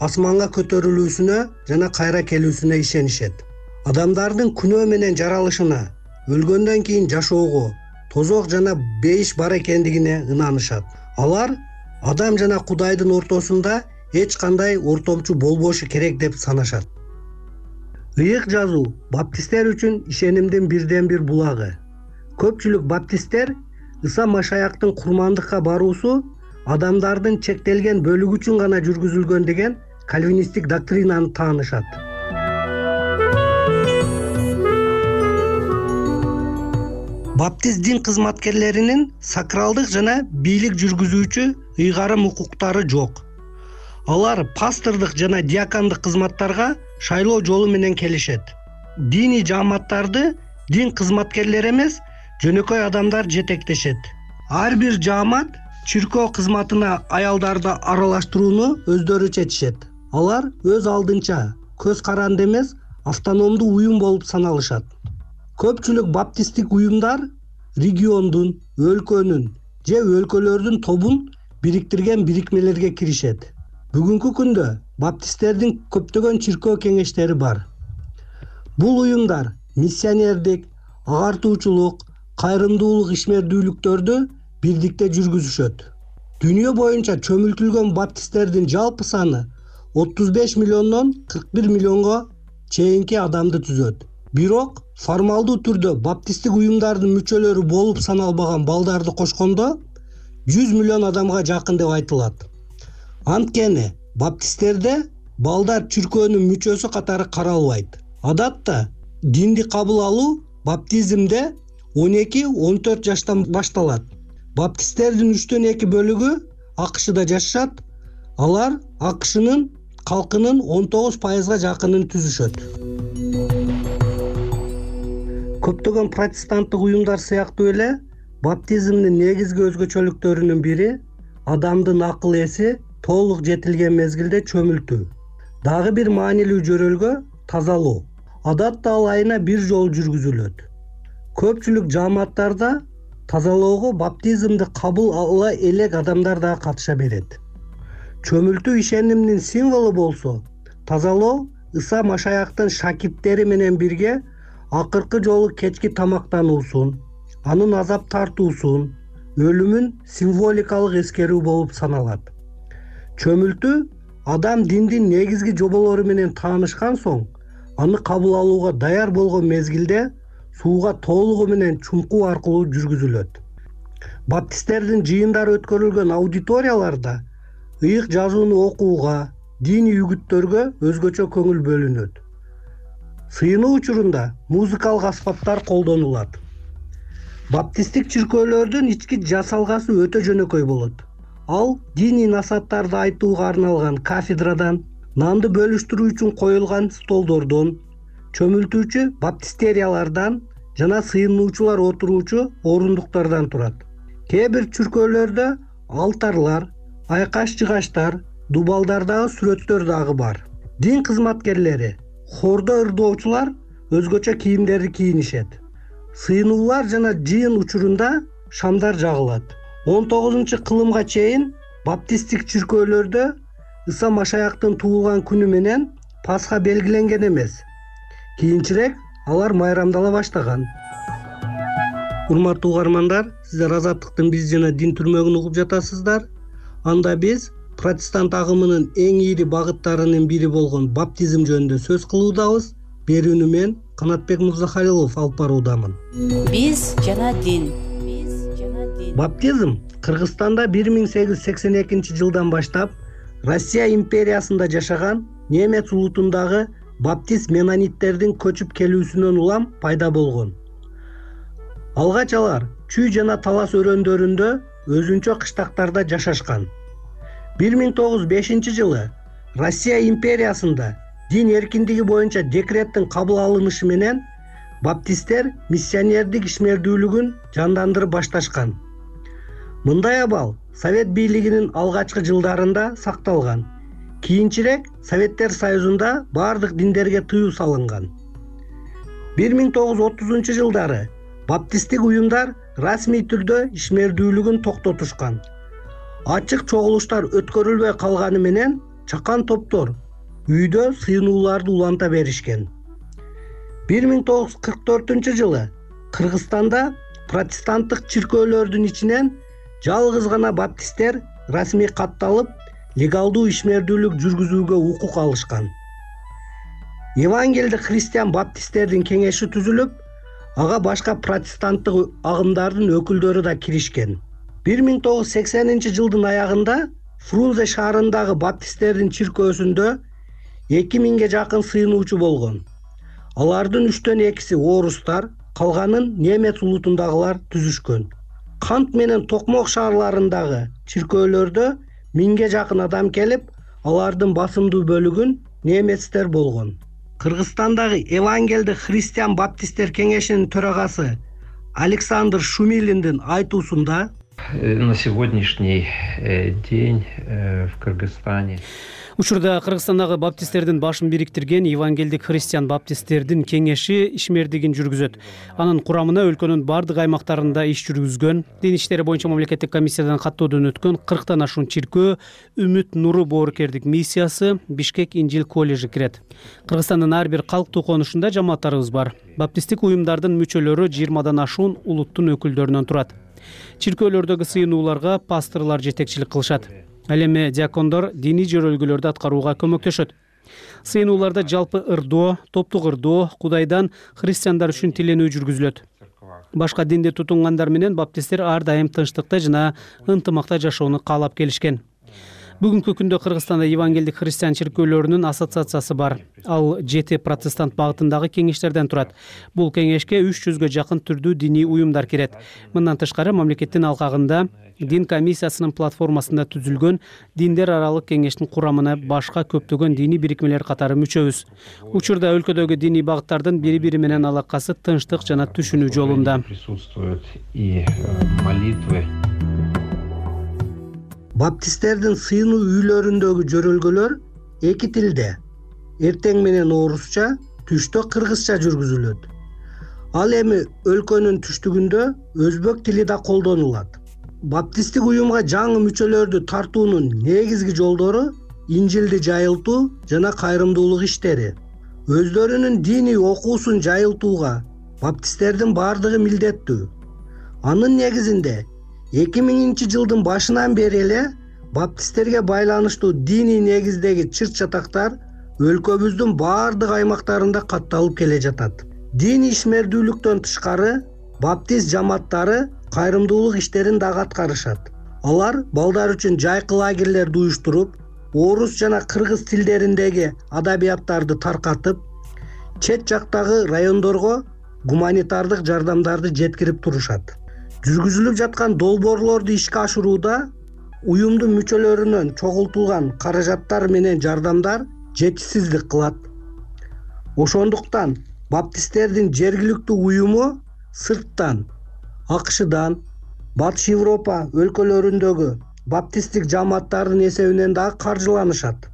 асманга көтөрүлүүсүнө жана кайра келүүсүнө ишенишет. Адамдардын күнөө менен жаралышына, өлгөндөн кийин жашоого, тозок жана бейиш бар экендигине ынанышат. Алар адам жана Кудайдын ортосунда эч кандай ортомчу болбошу керек деп санашат. Ыйык жазуу баптисттер үчүн ишенимдин бирден бир булагы. Көпчүлүк баптисттер Иса Машаяктын курмандыкка баруусу адамдардын чектелген бөлүгү үчүн гана жүргүзүлгөн деген кальвинисттик доктринаны таанышат. Баптист дин кызматкерлеринин сакралдык жана бийлик жүргүзүүчү ыйгарым укуктары жок. Алар пастордук жана диакондук кызматтарга шайлоо жолу менен келишет. Диний жааматтарды дин кызматкерлери эмес, жөнөкөй адамдар жетектешет. Ар бир жаамат чиркөө кызматына аялдарды аралаштырууну өздөрү чечишет. Алар өз алдынча көз каранды эмес, автономдуу уюм болуп саналышат. Көпчүлүк баптисттик уюмдар региондун, өлкөнүн же өлкөлөрдүн тобун бириктирген бирикмелерге киришет. Бүгүнкү күндө баптисттердин көптөгөн чиркөө кеңештери бар. Бул уюмдар миссионердик, агартуучулук, кайрымдуулук ишмердүүлүктөрдү бирдикте жүргүзүшөт. Дүйнө боюнча чөмүлтүлгөн баптисттердин жалпы саны отуз беш миллиондон кырк бир миллионго чейинки адамды түзөт. Бирок формалдуу түрдө баптисттик уюмдардын мүчөлөрү болуп саналбаган балдарды кошкондо жүз миллион адамга жакын деп айтылат. Анткени баптисттерде балдар чиркөөнүн мүчөсү катары каралбайт. Адатта динди кабыл алуу баптизмде он эки он төрт жаштан башталат. Баптисттердин үчтөн эки бөлүгү АКШда жашашат. Алар АКШнын калкынын он тогуз пайызга жакынын түзүшөт. Көптөгөн протестанттык уюмдар сыяктуу эле баптизмдин негизги өзгөчөлүктөрүнүн бири адамдын акыл эси толук жетилген мезгилде чөмүлтүү. Дагы бир маанилүү жөрөлгө тазалоо. Адатта ал айына бир жолу жүргүзүлөт. Көпчүлүк жааматтарда тазалоого баптизмди кабыл ала элек адамдар да катыша берет. Чөмүлтүү ишенимдин символу болсо, тазалоо Иса Машаяктын шакирттери менен бирге акыркы жолу кечки тамактануусун, анын азап тартуусун, өлүмүн символикалык эскерүү болуп саналат. Чөмүлтүү адам диндин негизги жоболору менен таанышкан соң, аны кабыл алууга даяр болгон мезгилде сууга толугу менен чуңкуу аркылуу жүргүзүлөт. Баптисттердин жыйындары өткөрүлгөн аудиторияларда ыйык жазууну окууга, диний үгүттөргө өзгөчө көңүл бөлүнөт. Сыйынуу учурунда музыкалык аспаптар колдонулат. Баптисттик чиркөөлөрдүн ички жасалгасы өтө жөнөкөй болот. Ал диний насааттарды айтууга арналган кафедрадан, нанды бөлүштүрүү үчүн коюлган столдордон, чөмүлтүүчү баптистериялардан жана сыйынуучулар отуруучу орундуктардан турат. Кээ бир чиркөөлөрдө алтарлар, айкаш-жыгаштар, дубалдардагы сүрөттөр дагы бар. Дин кызматкерлери, хордо ырдоочулар өзгөчө кийимдерди кийинишет. Сыйынуулар жана жыйын учурунда шамдар жагылат. он тогузунчу кылымга чейин баптисттик чиркөөлөрдө Иса Машаяктын туулган күнү менен Пасха белгиленген эмес. Кийинчерээк алар майрамдала баштаган. Урматтуу угармандар, сиздер Азаттыктын биз жана дин түрмөгүн угуп жатасыздар. Анда биз протестант агымынын эң ийри багыттарынын бири болгон баптизм жөнүндө сөз кылуудабыз. Берүүнү мен Канатбек Мырзахалилов алып баруудамын. Биз жана дин. Баптизм Кыргызстанда бир миң сегиз жүз сексен экинчи жылдан баштап Россия империясында жашаган немец улутундагы баптист менониттердин көчүп келүүсүнөн улам пайда болгон. Алгач алар Чүй жана Талас өрөөндөрүндө өзүнчө кыштактарда жашашкан. бир миң тогуз жүз бешинчи жылы Россия империясында дин эркиндиги боюнча декреттин кабыл алынышы менен баптисттер миссионердик ишмердүүлүгүн жандандырып башташкан. Мындай абал Совет бийлигинин алгачкы жылдарында сакталган. Кийинчерээк Советтер Союзунда бардык диндерге тыюу салынган. бир миң тогуз жүз отузунчу жылдары баптисттик уюмдар расмий түрдө ишмердүүлүгүн токтотушкан. Ачык чогулуштар өткөрүлбөй калганы менен чакан топтор үйдө сыйынууларды уланта беришкен. бир миң тогуз жүз кырк төртүнчү жылы Кыргызстанда протестанттык чиркөөлөрдүн ичинен жалгыз гана баптисттер расмий катталып, легалдуу ишмердүүлүк жүргүзүүгө укук алышкан. Евангелдик христиан баптисттердин кеңеши түзүлүп, ага башка протестанттык агымдардын өкүлдөрү да киришкен. бир миң тогуз жүз сексенинчи жылдын аягында Фрунзе шаарындагы баптисттердин чиркөөсүндө эки миңге жакын сыйынуучу болгон. Алардын үчтөн экиси орустар, калганын немец улутундагылар түзүшкөн. Кант менен Токмок шаарларындагы чиркөөлөрдө миңге жакын адам келип, алардын басымдуу бөлүгүн немецтер болгон. Кыргызстандагы Евангелдик христиан баптисттер кеңешинин төрагасы Александр Шумилиндин айтуусунда на сегодняшний день в Кыргызстане учурда Кыргызстандагы баптисттердин башын бириктирген Евангелдик христиан баптисттердин кеңеши ишмердигин жүргүзөт. Анын курамына өлкөнүн бардык аймактарында иш жүргүзгөн, дин иштери боюнча мамлекеттик комиссиядан каттоодон өткөн кырктан ашуун чиркөө, Үмүт нуру боорукердик миссиясы, Бишкек Инжил коллежи кирет. Кыргызстандын ар бир калктуу конушунда жамааттарыбыз бар. Баптисттик уюмдардын мүчөлөрү жыйырмадан ашуун улуттун өкүлдөрүнөн турат. Чиркөөлөрдөгү сыйынууларга пасторлор жетекчилик кылышат. Ал эми диакондор диний жөрөлгөлөрдү аткарууга көмөктөшөт. Сыйынууларда жалпы ырдоо, топтук ырдоо, Кудайдан христиандар үчүн тиленүү жүргүзүлөт. Башка динди тутунгандар менен баптисттер ар дайым тынчтыкта жана ынтымакта жашоону каалап келишкен. Бүгүнкү күндө Кыргызстанда Евангелдик христиан чиркөөлөрүнүн ассоциациясы бар. Ал жети протестант багытындагы кеңештерден турат. Бул кеңешке үч жүзгө жакын түрдүү диний уюмдар кирет. Мындан тышкары мамлекеттин алкагында дин комиссиясынын платформасында түзүлгөн диндер аралык кеңештин курамына башка көптөгөн диний бирикмелер катары мүчөбүз. Учурда өлкөдөгү диний багыттардын бири-бири менен алакасы тынчтык жана түшүнүү жолунда. Присутствуют и молитвы. Баптисттердин сыйынуу үйлөрүндөгү жөрөлгөлөр эки тилде, эртең менен орусча, түштө кыргызча жүргүзүлөт. Ал эми өлкөнүн түштүгүндө өзбек тили да колдонулат. Баптисттик уюмга жаңы мүчөлөрдү тартуунун негизги жолдору Инжилди жайылтуу жана кайрымдуулук иштери. Өздөрүнүн диний окуусун жайылтууга баптисттердин бардыгы милдеттүү. Анын негизинде эки миңинчи жылдын башынан бери эле баптисттерге байланыштуу диний негиздеги чырт-чатактар өлкөбүздүн бардык аймактарында катталып келе жатат. Диний ишмердүүлүктөн тышкары баптист жамааттары кайрымдуулук иштерин дагы аткарышат. Алар балдар үчүн жайкы лагерлерди уюштуруп, орус жана кыргыз тилдериндеги адабияттарды таркатып, чет жактагы райондорго гуманитардык жардамдарды жеткирип турушат. Жүргүзүлүп жаткан долбоорлорду ишке ашырууда уюмдун мүчөлөрүнөн чогултулган каражаттар менен жардамдар жетишсиздик кылат. Ошондуктан баптисттердин жергиликтүү уюму сырттан, АКШдан, Батыш Европа өлкөлөрүндөгү баптисттик жамааттардын эсебинен дагы каржыланышат.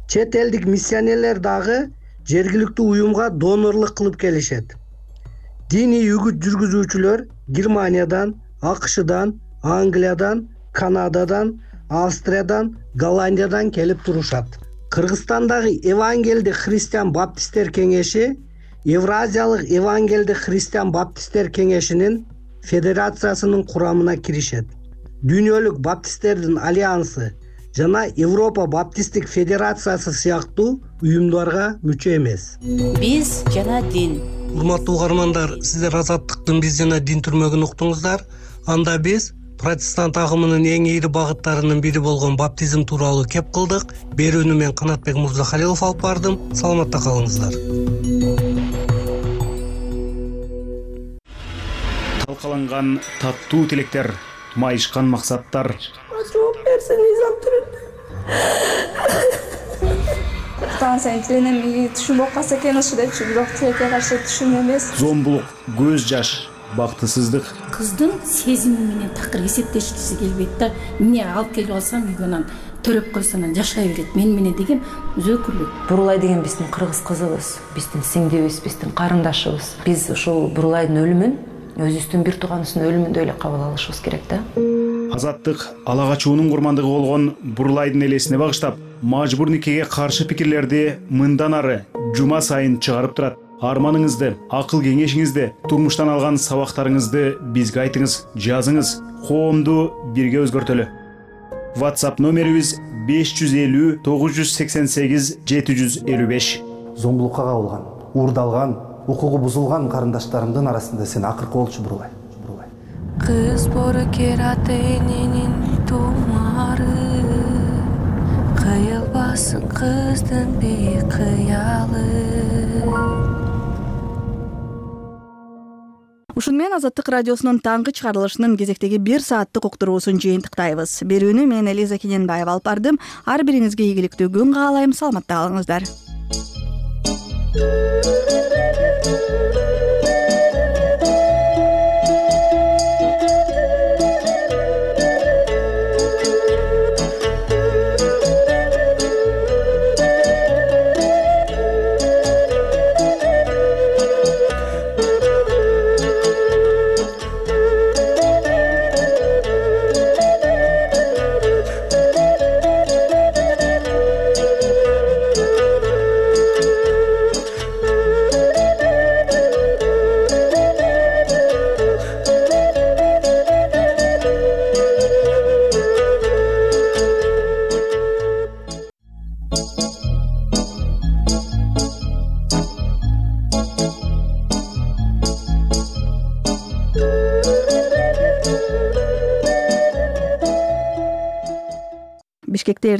Чет элдик миссионерлер дагы жергиликтүү уюмга донорлук кылып келишет. Диний үгүт жүргүзүүчүлөр Германиядан, АКШдан, Англиядан, Канададан, Австриядан, Голландиядан келип турушат. Кыргызстандагы Евангелдик христиан баптисттер кеңеши Евразиялык Евангелдик христиан баптисттер кеңешинин федерациясынын курамына киришет. Дүйнөлүк баптисттердин альянсы жана Европа баптисттик федерациясы сыяктуу уюмдарга мүчө эмес. Биз жана дин. Урматтуу угармандар, сиздер Азаттыктын биз жана дин түрмөгүн уктуңуздар. Анда биз протестант агымынын эң ийри багыттарынын бири болгон баптизм тууралуу кеп кылдык. Берүүнү мен Канатбек Мырзахалилов алып бардым. Саламатта калыңыздар. Талкаланган таттуу тилектер, майышкан максаттар. Жооп берсеңиз аптырын. Станция тиленем түшүнбөп калса экен ушу депчи, бирок тилекке каршы түшүн эмес. Зомбулук, көз жаш, бактысыздык. Кыздын сезими менен такыр эсептешкиси келбейт да. Эмне алып келип алсам үйгөнөн төрөп койсо анан жашай берет. Мен менен деген өзөкүлүк. Бурулай деген биздин кыргыз кызыбыз, биздин сиңдибиз, биздин карындашыбыз. Биз ушул Бурулайдын өлүмүн өзүбүздүн бир тууганыбыздын өлүмүндөй эле кабыл алышыбыз керек да. Азаттык ала качуунун курмандыгы болгон Бурулайдын элесине багыштап, мажбур никеге каршы пикирлерди мындан ары жума сайын чыгарып турат. Арманыңызды, акыл кеңешиңизди, турмуштан алган сабактарыңызды бизге айтыңыз, жазыңыз. Коомду бирге өзгөртөлү. WhatsApp номерибиз беш жүз элүү тогуз жүз сексен сегиз жети жүз элүү беш. Зомбулукка кабылган, уурдалган, укугу бузулган карындаштарымдын арасында сен акыркы болчу Бурулай. кыз боорукер ата эненин тумары, кыйылбасын кыздын бейкыялы. Ушун менен Азаттык радиосунун таңкы чыгарылышынын кезектеги бир сааттык уктуруусун жыйынтыктайбыз. Берүүнү мен Элиза Кененбаева алып бардым. Ар бириңизге ийгиликтүү күн каалайм. Саламатта калыңыздар. Бишкекте